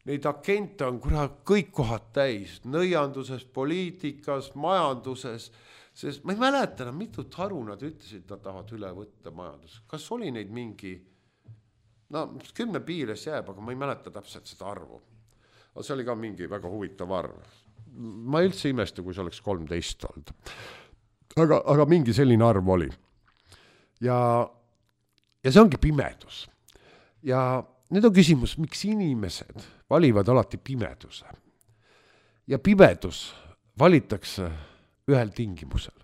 Neid agente on kõik kohad täis, nõianduses, poliitikas, majanduses, sest ma ei mäleta enam mitut haru nad ütlesid, nad tahavad üle võtta majandus. Kas oli neid mingi, 10 piires jääb, aga ma ei mäleta täpselt seda arvu. Aga see oli ka mingi väga huvitav arv. Ma üldse imesta, kui see oleks 13 olnud. Aga mingi selline arv oli. Ja see ongi pimedus. Ja nüüd on küsimus, miks inimesed valivad alati pimeduse. Ja pimedus valitakse ühel tingimusel.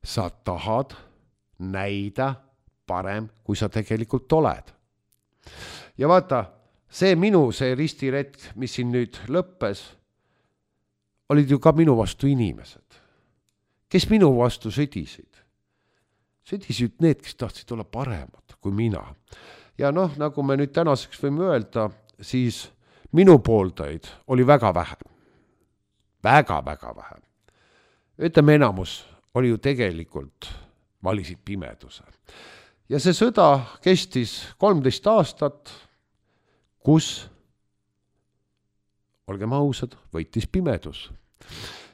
Sa tahad näida parem, kui sa tegelikult oled. Ja vaata, see ristiretk, mis siin nüüd lõppes, olid ju ka minu vastu inimesed. Kes minu vastu sõdisid? Sõdisid need, kes tahtsid olla paremad kui mina. Ja nagu me nüüd tänaseks võime öelda, siis minu pooldaid oli väga vähe. Väga vähe. Ütleme, enamus oli ju tegelikult valisid pimeduse. Ja see sõda kestis 13 aastat, kus, olgem ausad, võitis pimedus.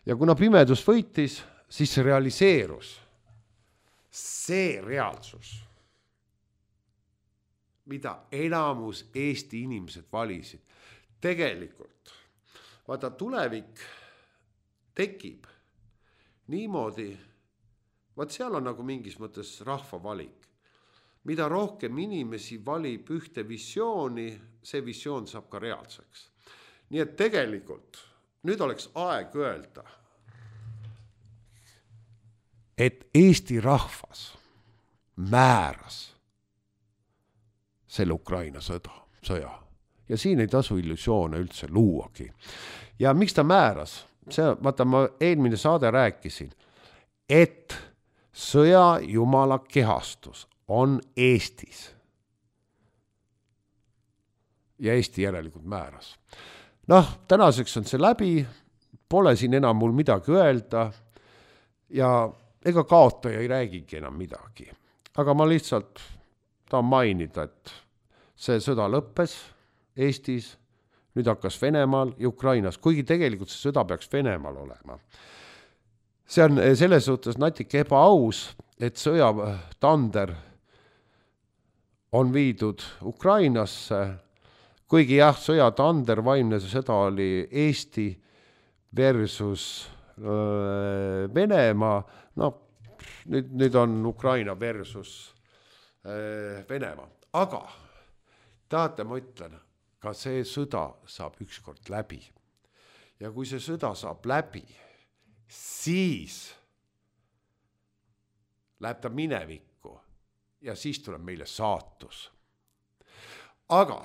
Ja kuna pimedus võitis, siis see realiseerus. See reaalsus, mida enamus Eesti inimesed valisid. Tegelikult, vaata, tulevik tekib niimoodi, seal on nagu mingis mõttes rahva valik. Mida rohkem inimesi valib ühte visiooni, see visioon saab ka reaalseks. Nii et tegelikult nüüd oleks aeg öelda, et Eesti rahvas määras selle Ukraina sõja. Ja siin ei tasu illusioone üldse luuagi. Ja miks ta määras? Vaata, ma eelmine saade rääkisin, et sõja jumala kehastus on Eestis. Ja Eesti järelikult määras. Tänaseks on see läbi, pole siin enam mul midagi öelda ja ega kaotaja ei räägigi enam midagi. Aga ma lihtsalt tahan mainida, et see sõda lõppes Eestis, nüüd hakkas Venemaal ja Ukrainas, kuigi tegelikult see sõda peaks Venemaal olema. See on selles suhtes natuke ebaaus, et sõjatander on viidud Ukrainasse, kuigi jah, sõjatander vaimne sõda oli Eesti versus Venemaa, nüüd on Ukraina versus Venemaa. Aga tahate, ma ütlen, ka see sõda saab ükskord läbi. Ja kui see sõda saab läbi, siis läheb ta minevikku ja siis tuleb meile saatus. Aga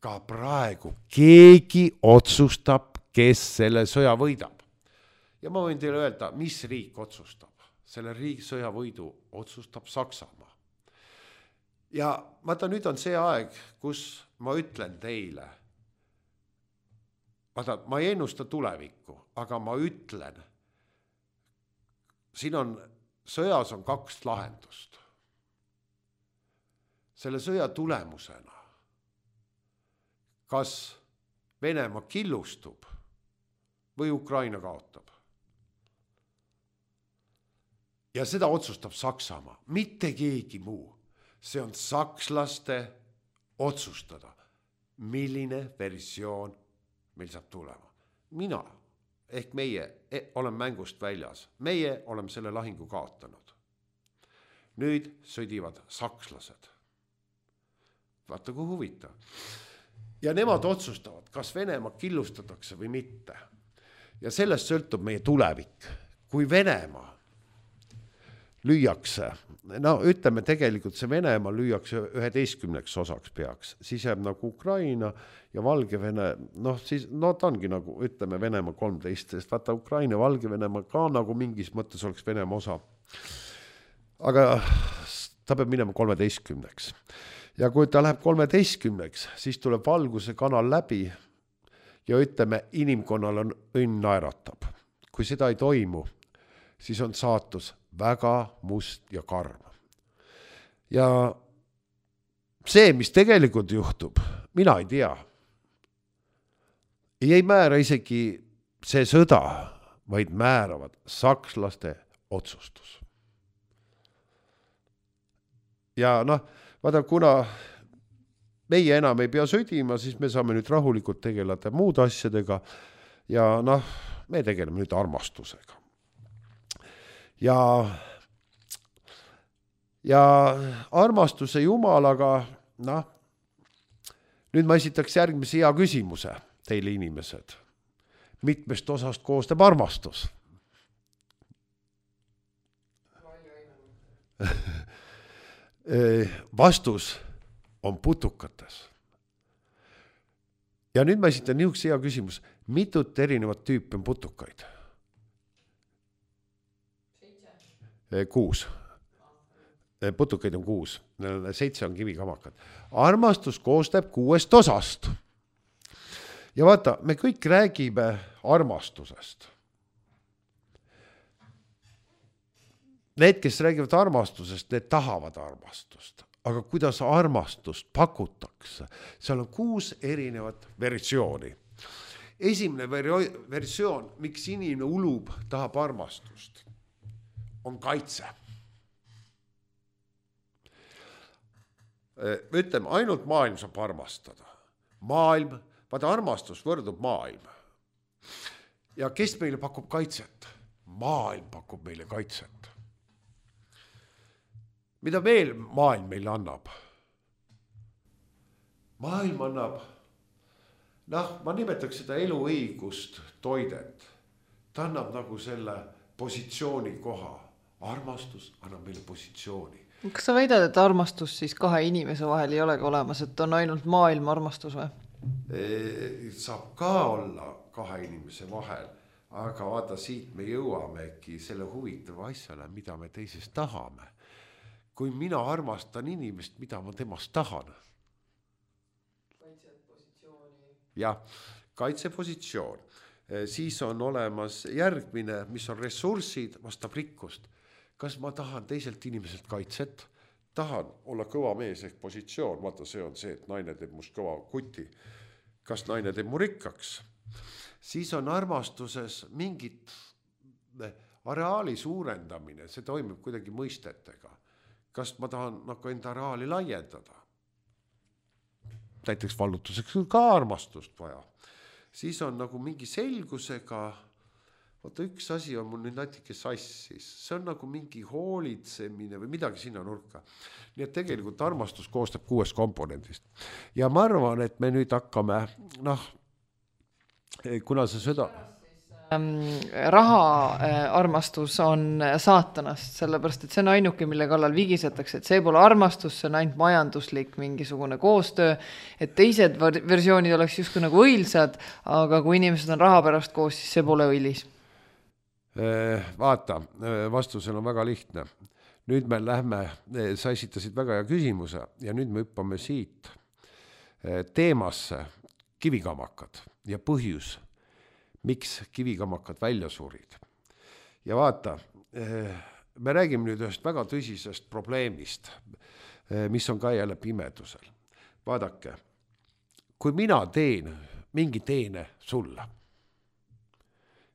ka praegu keegi otsustab, kes selle sõja võidab. Ja ma võin teile öelda, mis riik otsustab. Selle sõja võidu otsustab Saksamaa. Ja vaata, nüüd on see aeg, kus ma ütlen teile, vaata, ma ei ennusta tulevikku, aga ma ütlen, siin sõjas on 2 lahendust. Selle sõja tulemusena, kas Venemaa killustub või Ukraina kaotab. Ja seda otsustab Saksamaa, mitte keegi muu. See on sakslaste otsustada, milline versioon meil saab tulema. Mina ehk meie olen mängust väljas. Meie oleme selle lahingu kaotanud. Nüüd sõdivad sakslased. Vaata, kui huvitav. Ja nemad otsustavad, kas Venemaa killustatakse või mitte. Ja sellest sõltub meie tulevik. Kui Venemaa lüüakse, no ütleme tegelikult see Venemaa lüüakse 11 osaks peaks, siis jääb nagu Ukraina ja Valgevene, siis ta ongi nagu, ütleme Venemaa 13, sest vaata Ukraina ja Valgevenemaa ka nagu mingis mõttes oleks Venemaa osa. Aga ta peab minema 13. Ja kui ta läheb 13, siis tuleb valguse kanal läbi ja ütleme, inimkonnal on õnn naeratab. Kui seda ei toimu, siis on saatus väga must ja karm. Ja see, mis tegelikult juhtub, mina ei tea. Ei määra isegi see sõda, vaid määravad sakslaste otsustus. Ja vaata, kuna meie enam ei pea sõdima, siis me saame nüüd rahulikult tegeleda muud asjadega ja me tegeleme nüüd armastusega. Ja armastuse jumalaga, nüüd ma esitaks järgmise hea küsimuse teile inimesed. Mitmest osast koostab armastus? Vastus on putukates. Ja nüüd ma esitan niisuguse hea küsimus. Mitut erinevat tüüpi on putukaid? 6. Putukaid on 6. 7 on kivikamakad. Armastus koostab 6 osast. Ja vaata, me kõik räägime armastusest. Need, kes räägivad armastusest, need tahavad armastust. Aga kuidas armastust pakutakse? Seal on 6 erinevat versiooni. Esimene versioon, miks inimene ulub, tahab armastust, on kaitse. Ütleme, ainult maailm saab armastada. Maailm, vaata armastus võrdub maailm. Ja kes meile pakub kaitset? Maailm pakub meile kaitset. Mida veel maailm meile annab? Maailm annab, ma nimetaks seda eluõigust, toidet. Ta annab nagu selle positsiooni koha. Armastus annab meile positsiooni. Kas sa väidad, et armastus siis 2 inimese vahel ei olegi olemas, et on ainult maailma armastus või? Saab ka olla 2 inimese vahel, aga vaata, siit me jõuamegi selle huvitava asjale, mida me teisest tahame. Kui mina armastan inimest, mida ma temast tahan. Kaitsepositsiooni. Jah, kaitsepositsioon. Siis on olemas järgmine, mis on ressursid, vastab rikkust. Kas ma tahan teiselt inimeselt kaitset? Tahan olla kõva mees ehk positsioon. Vaata, see on see, et naine teeb must kõva kuti. Kas naine teeb mu rikkaks? Siis on armastuses mingit areaali suurendamine. See toimub kuidagi mõistetega. Kas ma tahan enda areaali laiendada? Näiteks vallutuseks ka armastust vaja. Siis on nagu mingi selgusega, vaata üks asi on mul nüüd natuke sassis, see on nagu mingi hoolitsemine või midagi sinna nurka. Nii et tegelikult armastus koostab 6 komponendist. Ja ma arvan, et me nüüd hakkame, kuna see sõda... Raha armastus on saatanast, sellepärast, et see on ainuke, mille kallal vigisetakse, et see pole armastus, see on ainult majanduslik mingisugune koostöö, et teised versioonid oleks justkui nagu õilsad, aga kui inimesed on raha pärast koos, siis see pole õilis. Vaata, vastusel on väga lihtne. Nüüd me lähme, sa esitasid väga hea küsimuse ja nüüd me hüppame siit teemasse kivikamakad ja põhjus, miks kivikamakad välja surid. Ja vaata, me räägime nüüd ühest väga tõsisest probleemist, mis on ka jälle pimedusel. Vaadake, kui mina teen mingi teene sulle,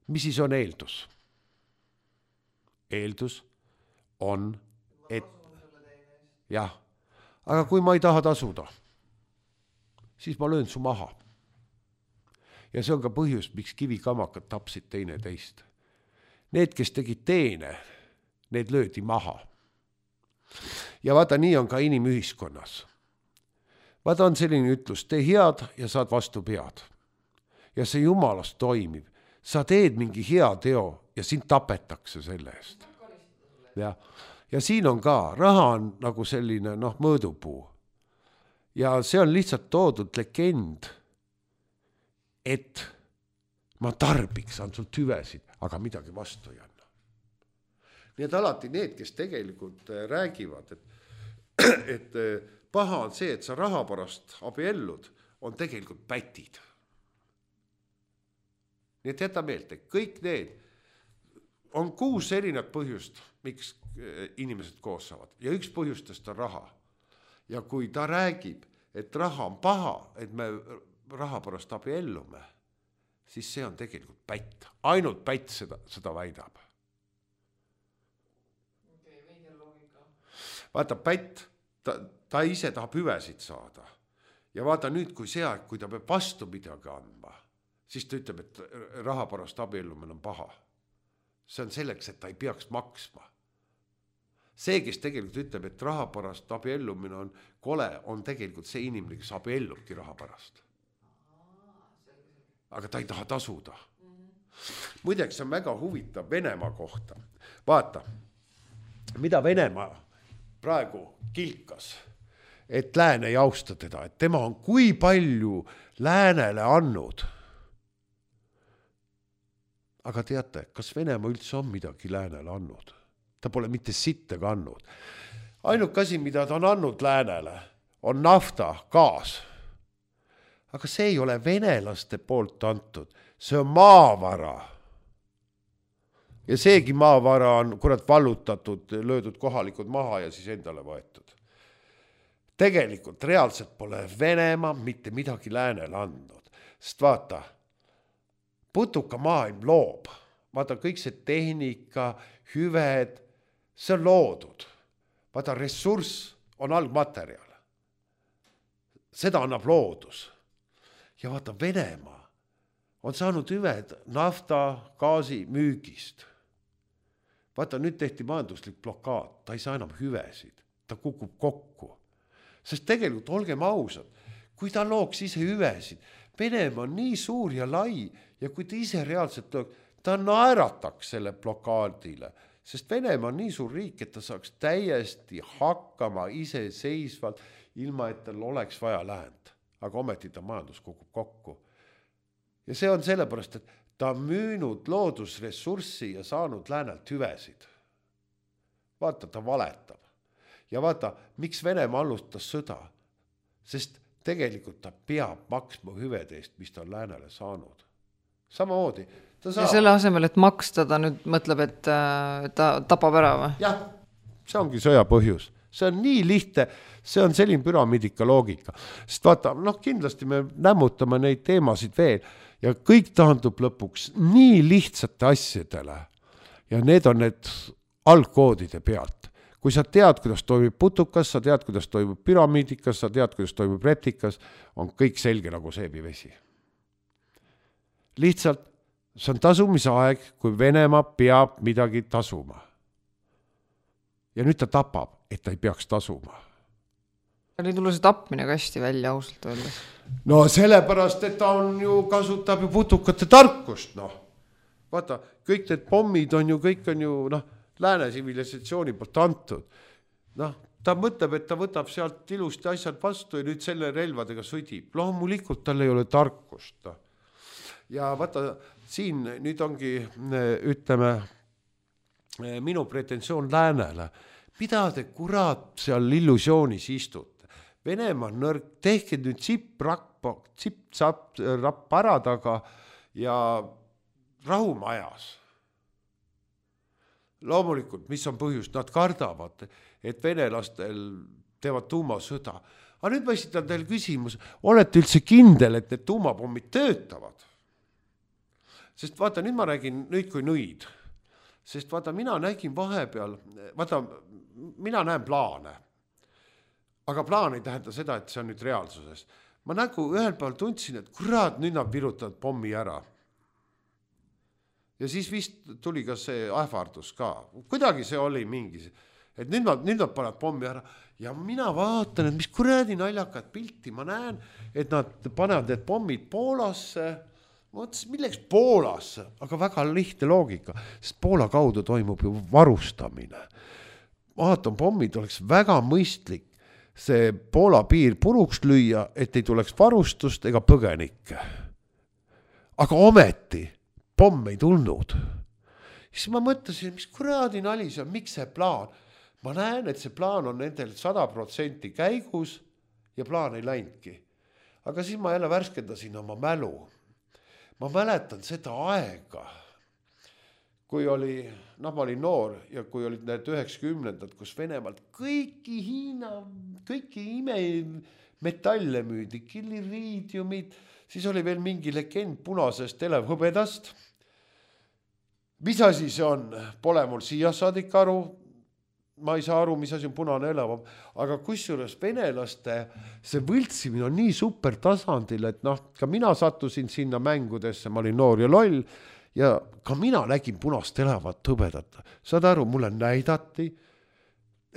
mis siis on eeldus? Eeldus on, et jah, aga kui ma ei taha tasuda, siis ma löön su maha. Ja see on ka põhjus, miks kivikamakad tapsid teineteist. Need, kes tegid teene, need löödi maha. Ja vaata, nii on ka inimühiskonnas. Vaata, on selline ütlus, tee head ja saad vastu pead. Ja see jumalast toimib. Sa teed mingi hea teo ja sind tapetakse selle eest. Ja siin on ka, raha on nagu selline mõõdupuu. Ja see on lihtsalt toodud legend, et ma tarbiks, saan sult hüvesid, aga midagi vastu ei anna. Nii et alati need, kes tegelikult räägivad, et paha on see, et sa raha pärast abiellud, on tegelikult pätid. Nii et jäta meelde, kõik need on 6 erinevat põhjust, miks inimesed koos saavad. Ja üks põhjustest on raha. Ja kui ta räägib, et raha on paha, et me raha pärast abiellume, siis see on tegelikult pätt. Ainult pätt seda väidab. Vaata, pätt, ta ise tahab hüvesid saada. Ja vaata nüüd, kui see aeg, kui ta peab vastu midagi andma, siis ta ütleb, et raha pärast abiellumine on paha. See on selleks, et ta ei peaks maksma. See, kes tegelikult ütleb, et raha pärast abiellumine on kole, on tegelikult see inimene, kes abiellubki raha pärast. Aga ta ei taha tasuda. Muideks on väga huvitav Venemaa kohta. Vaata, mida Venemaa praegu kilkas, et lääne ei austa teda, et tema on kui palju läänele andnud. Aga teate, kas Venemaa üldse on midagi läänele andnud? Ta pole mitte sitte andnud. Ainuke asi, mida ta on andnud läänele, on nafta, gaas. Aga see ei ole venelaste poolt antud, see on maavara. Ja seegi maavara on vallutatud, löödud kohalikud maha ja siis endale võetud. Tegelikult reaalselt pole Venemaa mitte midagi läänele andnud. Sest vaata, putuka maailm loob. Vaata, kõik see tehnika, hüved, see on loodud. Vaata, ressurss on algmaterjal. Seda annab loodus. Ja vaata, Venemaa on saanud hüved nafta, gaasi müügist. Vaata, nüüd tehti majanduslik blokaad, ta ei saa enam hüvesid, ta kukub kokku. Sest tegelikult, olgem ausad, kui ta looks ise hüvesid, Venemaa on nii suur ja lai ja kui ta ise reaalselt looks, ta naerataks selle blokaadile, sest Venemaa on nii suur riik, et ta saaks täiesti hakkama iseseisvalt, ilma et tal oleks vaja läänd. Aga ometi ta majandus kukub kokku. Ja see on sellepärast, et ta on müünud loodusressurssi ja saanud läänelt hüvesid. Vaata, ta valetab. Ja vaata, miks Venemaa alustas sõda? Sest tegelikult ta peab maksma hüvede eest, mis ta on läänele saanud. Samamoodi. Ja selle asemel, et maksta, ta nüüd mõtleb, et ta tapab ära või? Jah, see ongi sõja põhjus. See on nii lihtne, see on selline püramiidika loogika. Sest vaata, kindlasti me nämmutame neid teemasid veel ja kõik taandub lõpuks nii lihtsate asjadele. Ja need on need algkoodide pealt. Kui sa tead, kuidas toimub putukas, sa tead, kuidas toimub püramiidikas, sa tead, kuidas toimub reptikas, on kõik selge nagu seebivesi. Lihtsalt see on tasumise aeg, kui Venemaa peab midagi tasuma. Ja nüüd ta tapab, et ta ei peaks tasuma. Oli tullu see tapmine kasti välja ausalt öeldes. No sellepärast, et ta on ju kasutab ju putukate tarkust. Vaata, kõik need pommid on ju, kõik on ju lääne tsivilisatsiooni poolt antud. Ta mõtleb, et ta võtab sealt ilusti asjad vastu ja nüüd selle relvadega sõdib. Loomulikult tal ei ole tarkust. Ja vaata, siin nüüd ongi, ütleme, minu pretensioon läänele. Mida te kurat seal illusioonis istute? Venemaa on nõrk, tehke nüüd tsip-rapp ära taga ja rahumajas. Loomulikult, mis on põhjus? Nad kardavad, et venelastel teevad tuumasõda. Aga nüüd ma esitan teile küsimus, olete üldse kindel, et need tuumapommid töötavad? Sest vaata, nüüd ma räägin nüüd kui nõid. Sest vaata, mina nägin vahepeal, vaata, mina näen plaane. Aga plaan ei tähenda seda, et see on nüüd reaalsuses. Ma nagu ühel päeval tundsin, et kurat, nüüd nad virutavad pommi ära. Ja siis vist tuli ka see ähvardus ka. Kuidagi see oli mingi, et nüüd nad paned pommi ära. Ja mina vaatan, et mis kuradi naljakad pilti. Ma näen, et nad panevad need pommid Poolasse. Mõtlesin, milleks Poolasse? Aga väga lihtne loogika, sest Poola kaudu toimub ju varustamine. Aatompommid oleks väga mõistlik see Poola piir puruks lüüa, et ei tuleks varustust ega põgenikke. Aga ometi pomm ei tulnud. Siis ma mõtlesin, mis kuradi nali see on, miks see plaan? Ma näen, et see plaan on nendel 100% käigus ja plaan ei läinudki. Aga siis ma jälle värskendasin oma mälu. Ma mäletan seda aega, kui oli, ma olin noor ja kui olid need 90-ndad, kus Venemaalt kõiki Hiina, kõiki imemetallile müüdi, killiriidiumid, siis oli veel mingi legend punasest elevhõbedast. Mis asi see on? Pole mul siia saadik aru. Ma ei saa aru, mis asi on punane elav, aga kusjuures venelaste see võltsimine on nii super tasandil, et ka mina sattusin sinna mängudesse, ma olin noor ja loll ja ka mina nägin punast elavat hõbedat. Saad aru, mulle näidati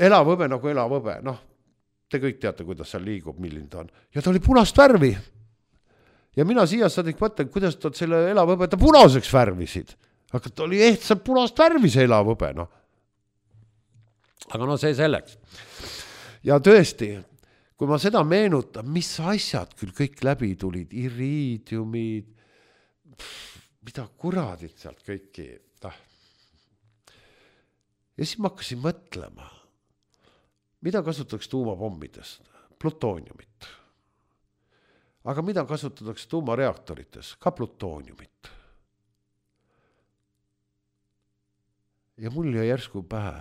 elavhõbe nagu elavhõbe, te kõik teate, kuidas seal liigub, milline ta on. Ja ta oli punast värvi. Ja mina siia saadik mõtlen, kuidas ta selle elavhõbeda punaseks värvisid. Aga ta oli ehtsalt punast värvi see elavhõbe, Aga see selleks. Ja tõesti, kui ma seda meenutan, mis asjad küll kõik läbi tulid, iriidiumid, mida kuradid sealt kõiki. Ja siis ma hakkasin mõtlema, mida kasutatakse tuumapommidest? Plutooniumit. Aga mida kasutatakse tuumareaktorites? Ka plutooniumit. Ja mul jäi järsku pähe.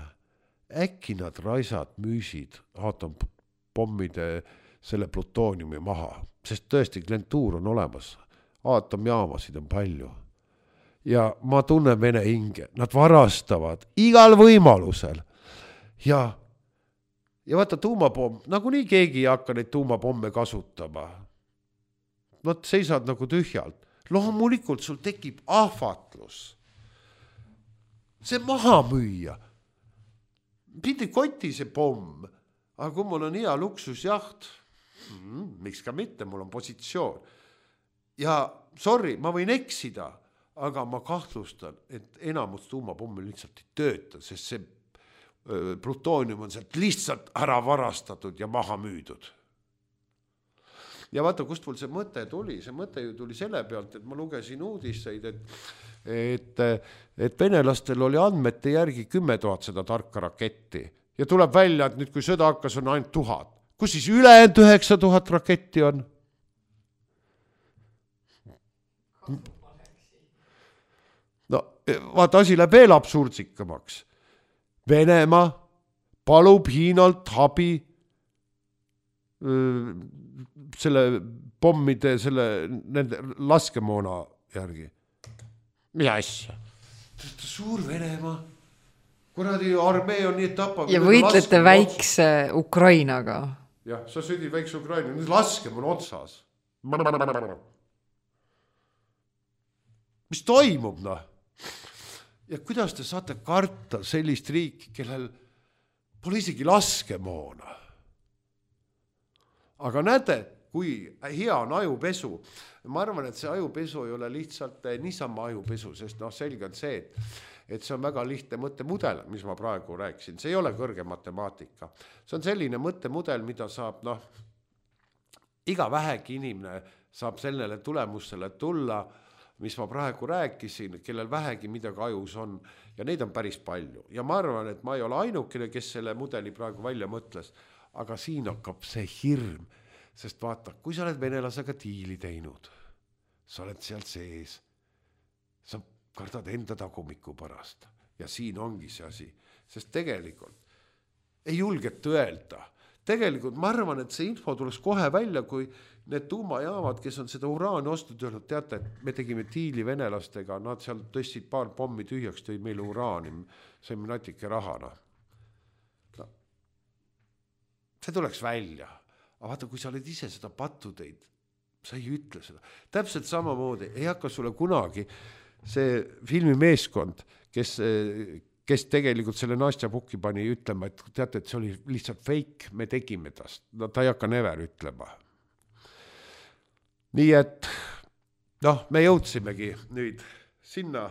Äkki nad raisad müüsid aatompommide selle plutooniumi maha, sest tõesti klientuur on olemas, aatomjaamasid on palju. Ja ma tunnen vene hinge, nad varastavad igal võimalusel. Ja vaata tuumapomm, nagu nii keegi ei hakka neid tuumapomme kasutama. Nad seisad nagu tühjalt. Loomulikult sul tekib ahvatlus. See maha müüa. Pidi koti see pomm, aga kui mul on hea luksusjaht, miks ka mitte, mul on positsioon. Ja sorry, ma võin eksida, aga ma kahtlustan, et enamus tuumapomme lihtsalt ei tööta, sest see plutoonium on sealt lihtsalt ära varastatud ja maha müüdud. Ja vaata, kust mul see mõte tuli? See mõte ju tuli selle pealt, et ma lugesin uudiseid, et venelastel oli andmete järgi 10 000 seda tarka raketti. Ja tuleb välja, et nüüd kui sõda hakkas, on ainult 1000. Kus siis ülejäänud 9000 raketti on? Vaata, asi läheb veel absurdzikamaks. Venemaa palub Hiinalt abi selle pommide, nende laskemoona järgi. Mis asja? Suur Venemaa. Kuradi armee on nii tapab. Ja võitlete väikse Ukrainaga. Jah, sa sõdid väikse Ukraina. Nüüd laskemoon otsas. Mis toimub, Ja kuidas te saate karta sellist riiki, kellel pole isegi laskemoona? Aga näete, kui hea on ajupesu. Ma arvan, et see ajupesu ei ole lihtsalt niisama ajupesu, sest selge on see, et see on väga lihtne mõttemudel, mis ma praegu rääkisin. See ei ole kõrge matemaatika. See on selline mõttemudel, mida saab, iga vähegi inimene saab sellele tulemusele tulla, mis ma praegu rääkisin, kellel vähegi midagi ajus on, ja neid on päris palju. Ja ma arvan, et ma ei ole ainukene, kes selle mudeli praegu välja mõtles, aga siin hakkab see hirm, sest vaata, kui sa oled venelasega diili teinud, sa oled seal sees, sa kardad enda tagumiku pärast ja siin ongi see asi, sest tegelikult ei julgeta öelda. tegelikult ma arvan, et see info tuleks kohe välja, kui need tuumajaamad, kes on seda uraani ostnud, öelnud, teate, et me tegime diili venelastega, nad seal tõstsid paar pommi tühjaks, tõid meile uraani, saime natuke rahana. No, see tuleks välja. Aga vaata, kui sa oled ise seda pattu teid, sa ei ütle seda. Täpselt samamoodi ei hakka sulle kunagi see filmimeeskond, kes tegelikult selle Nastja Puki pani ütlema, et teate, et see oli lihtsalt fake, me tegime tast. No ta ei hakka never ütlema. Nii et me jõudsimegi nüüd sinna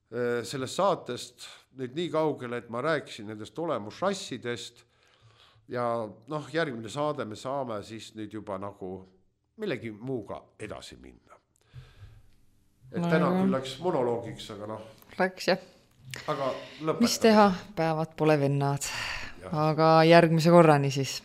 sellest saatest nüüd nii kaugele, et ma rääkisin nendest olemusrassidest ja järgmine saade me saame siis nüüd juba nagu millegi muuga edasi minna. Et täna küll läks monoloogiks, aga Läks, jah. Aga lõpetame. Mis teha? Päevad pole vennad. Ja. Aga järgmise korrani siis.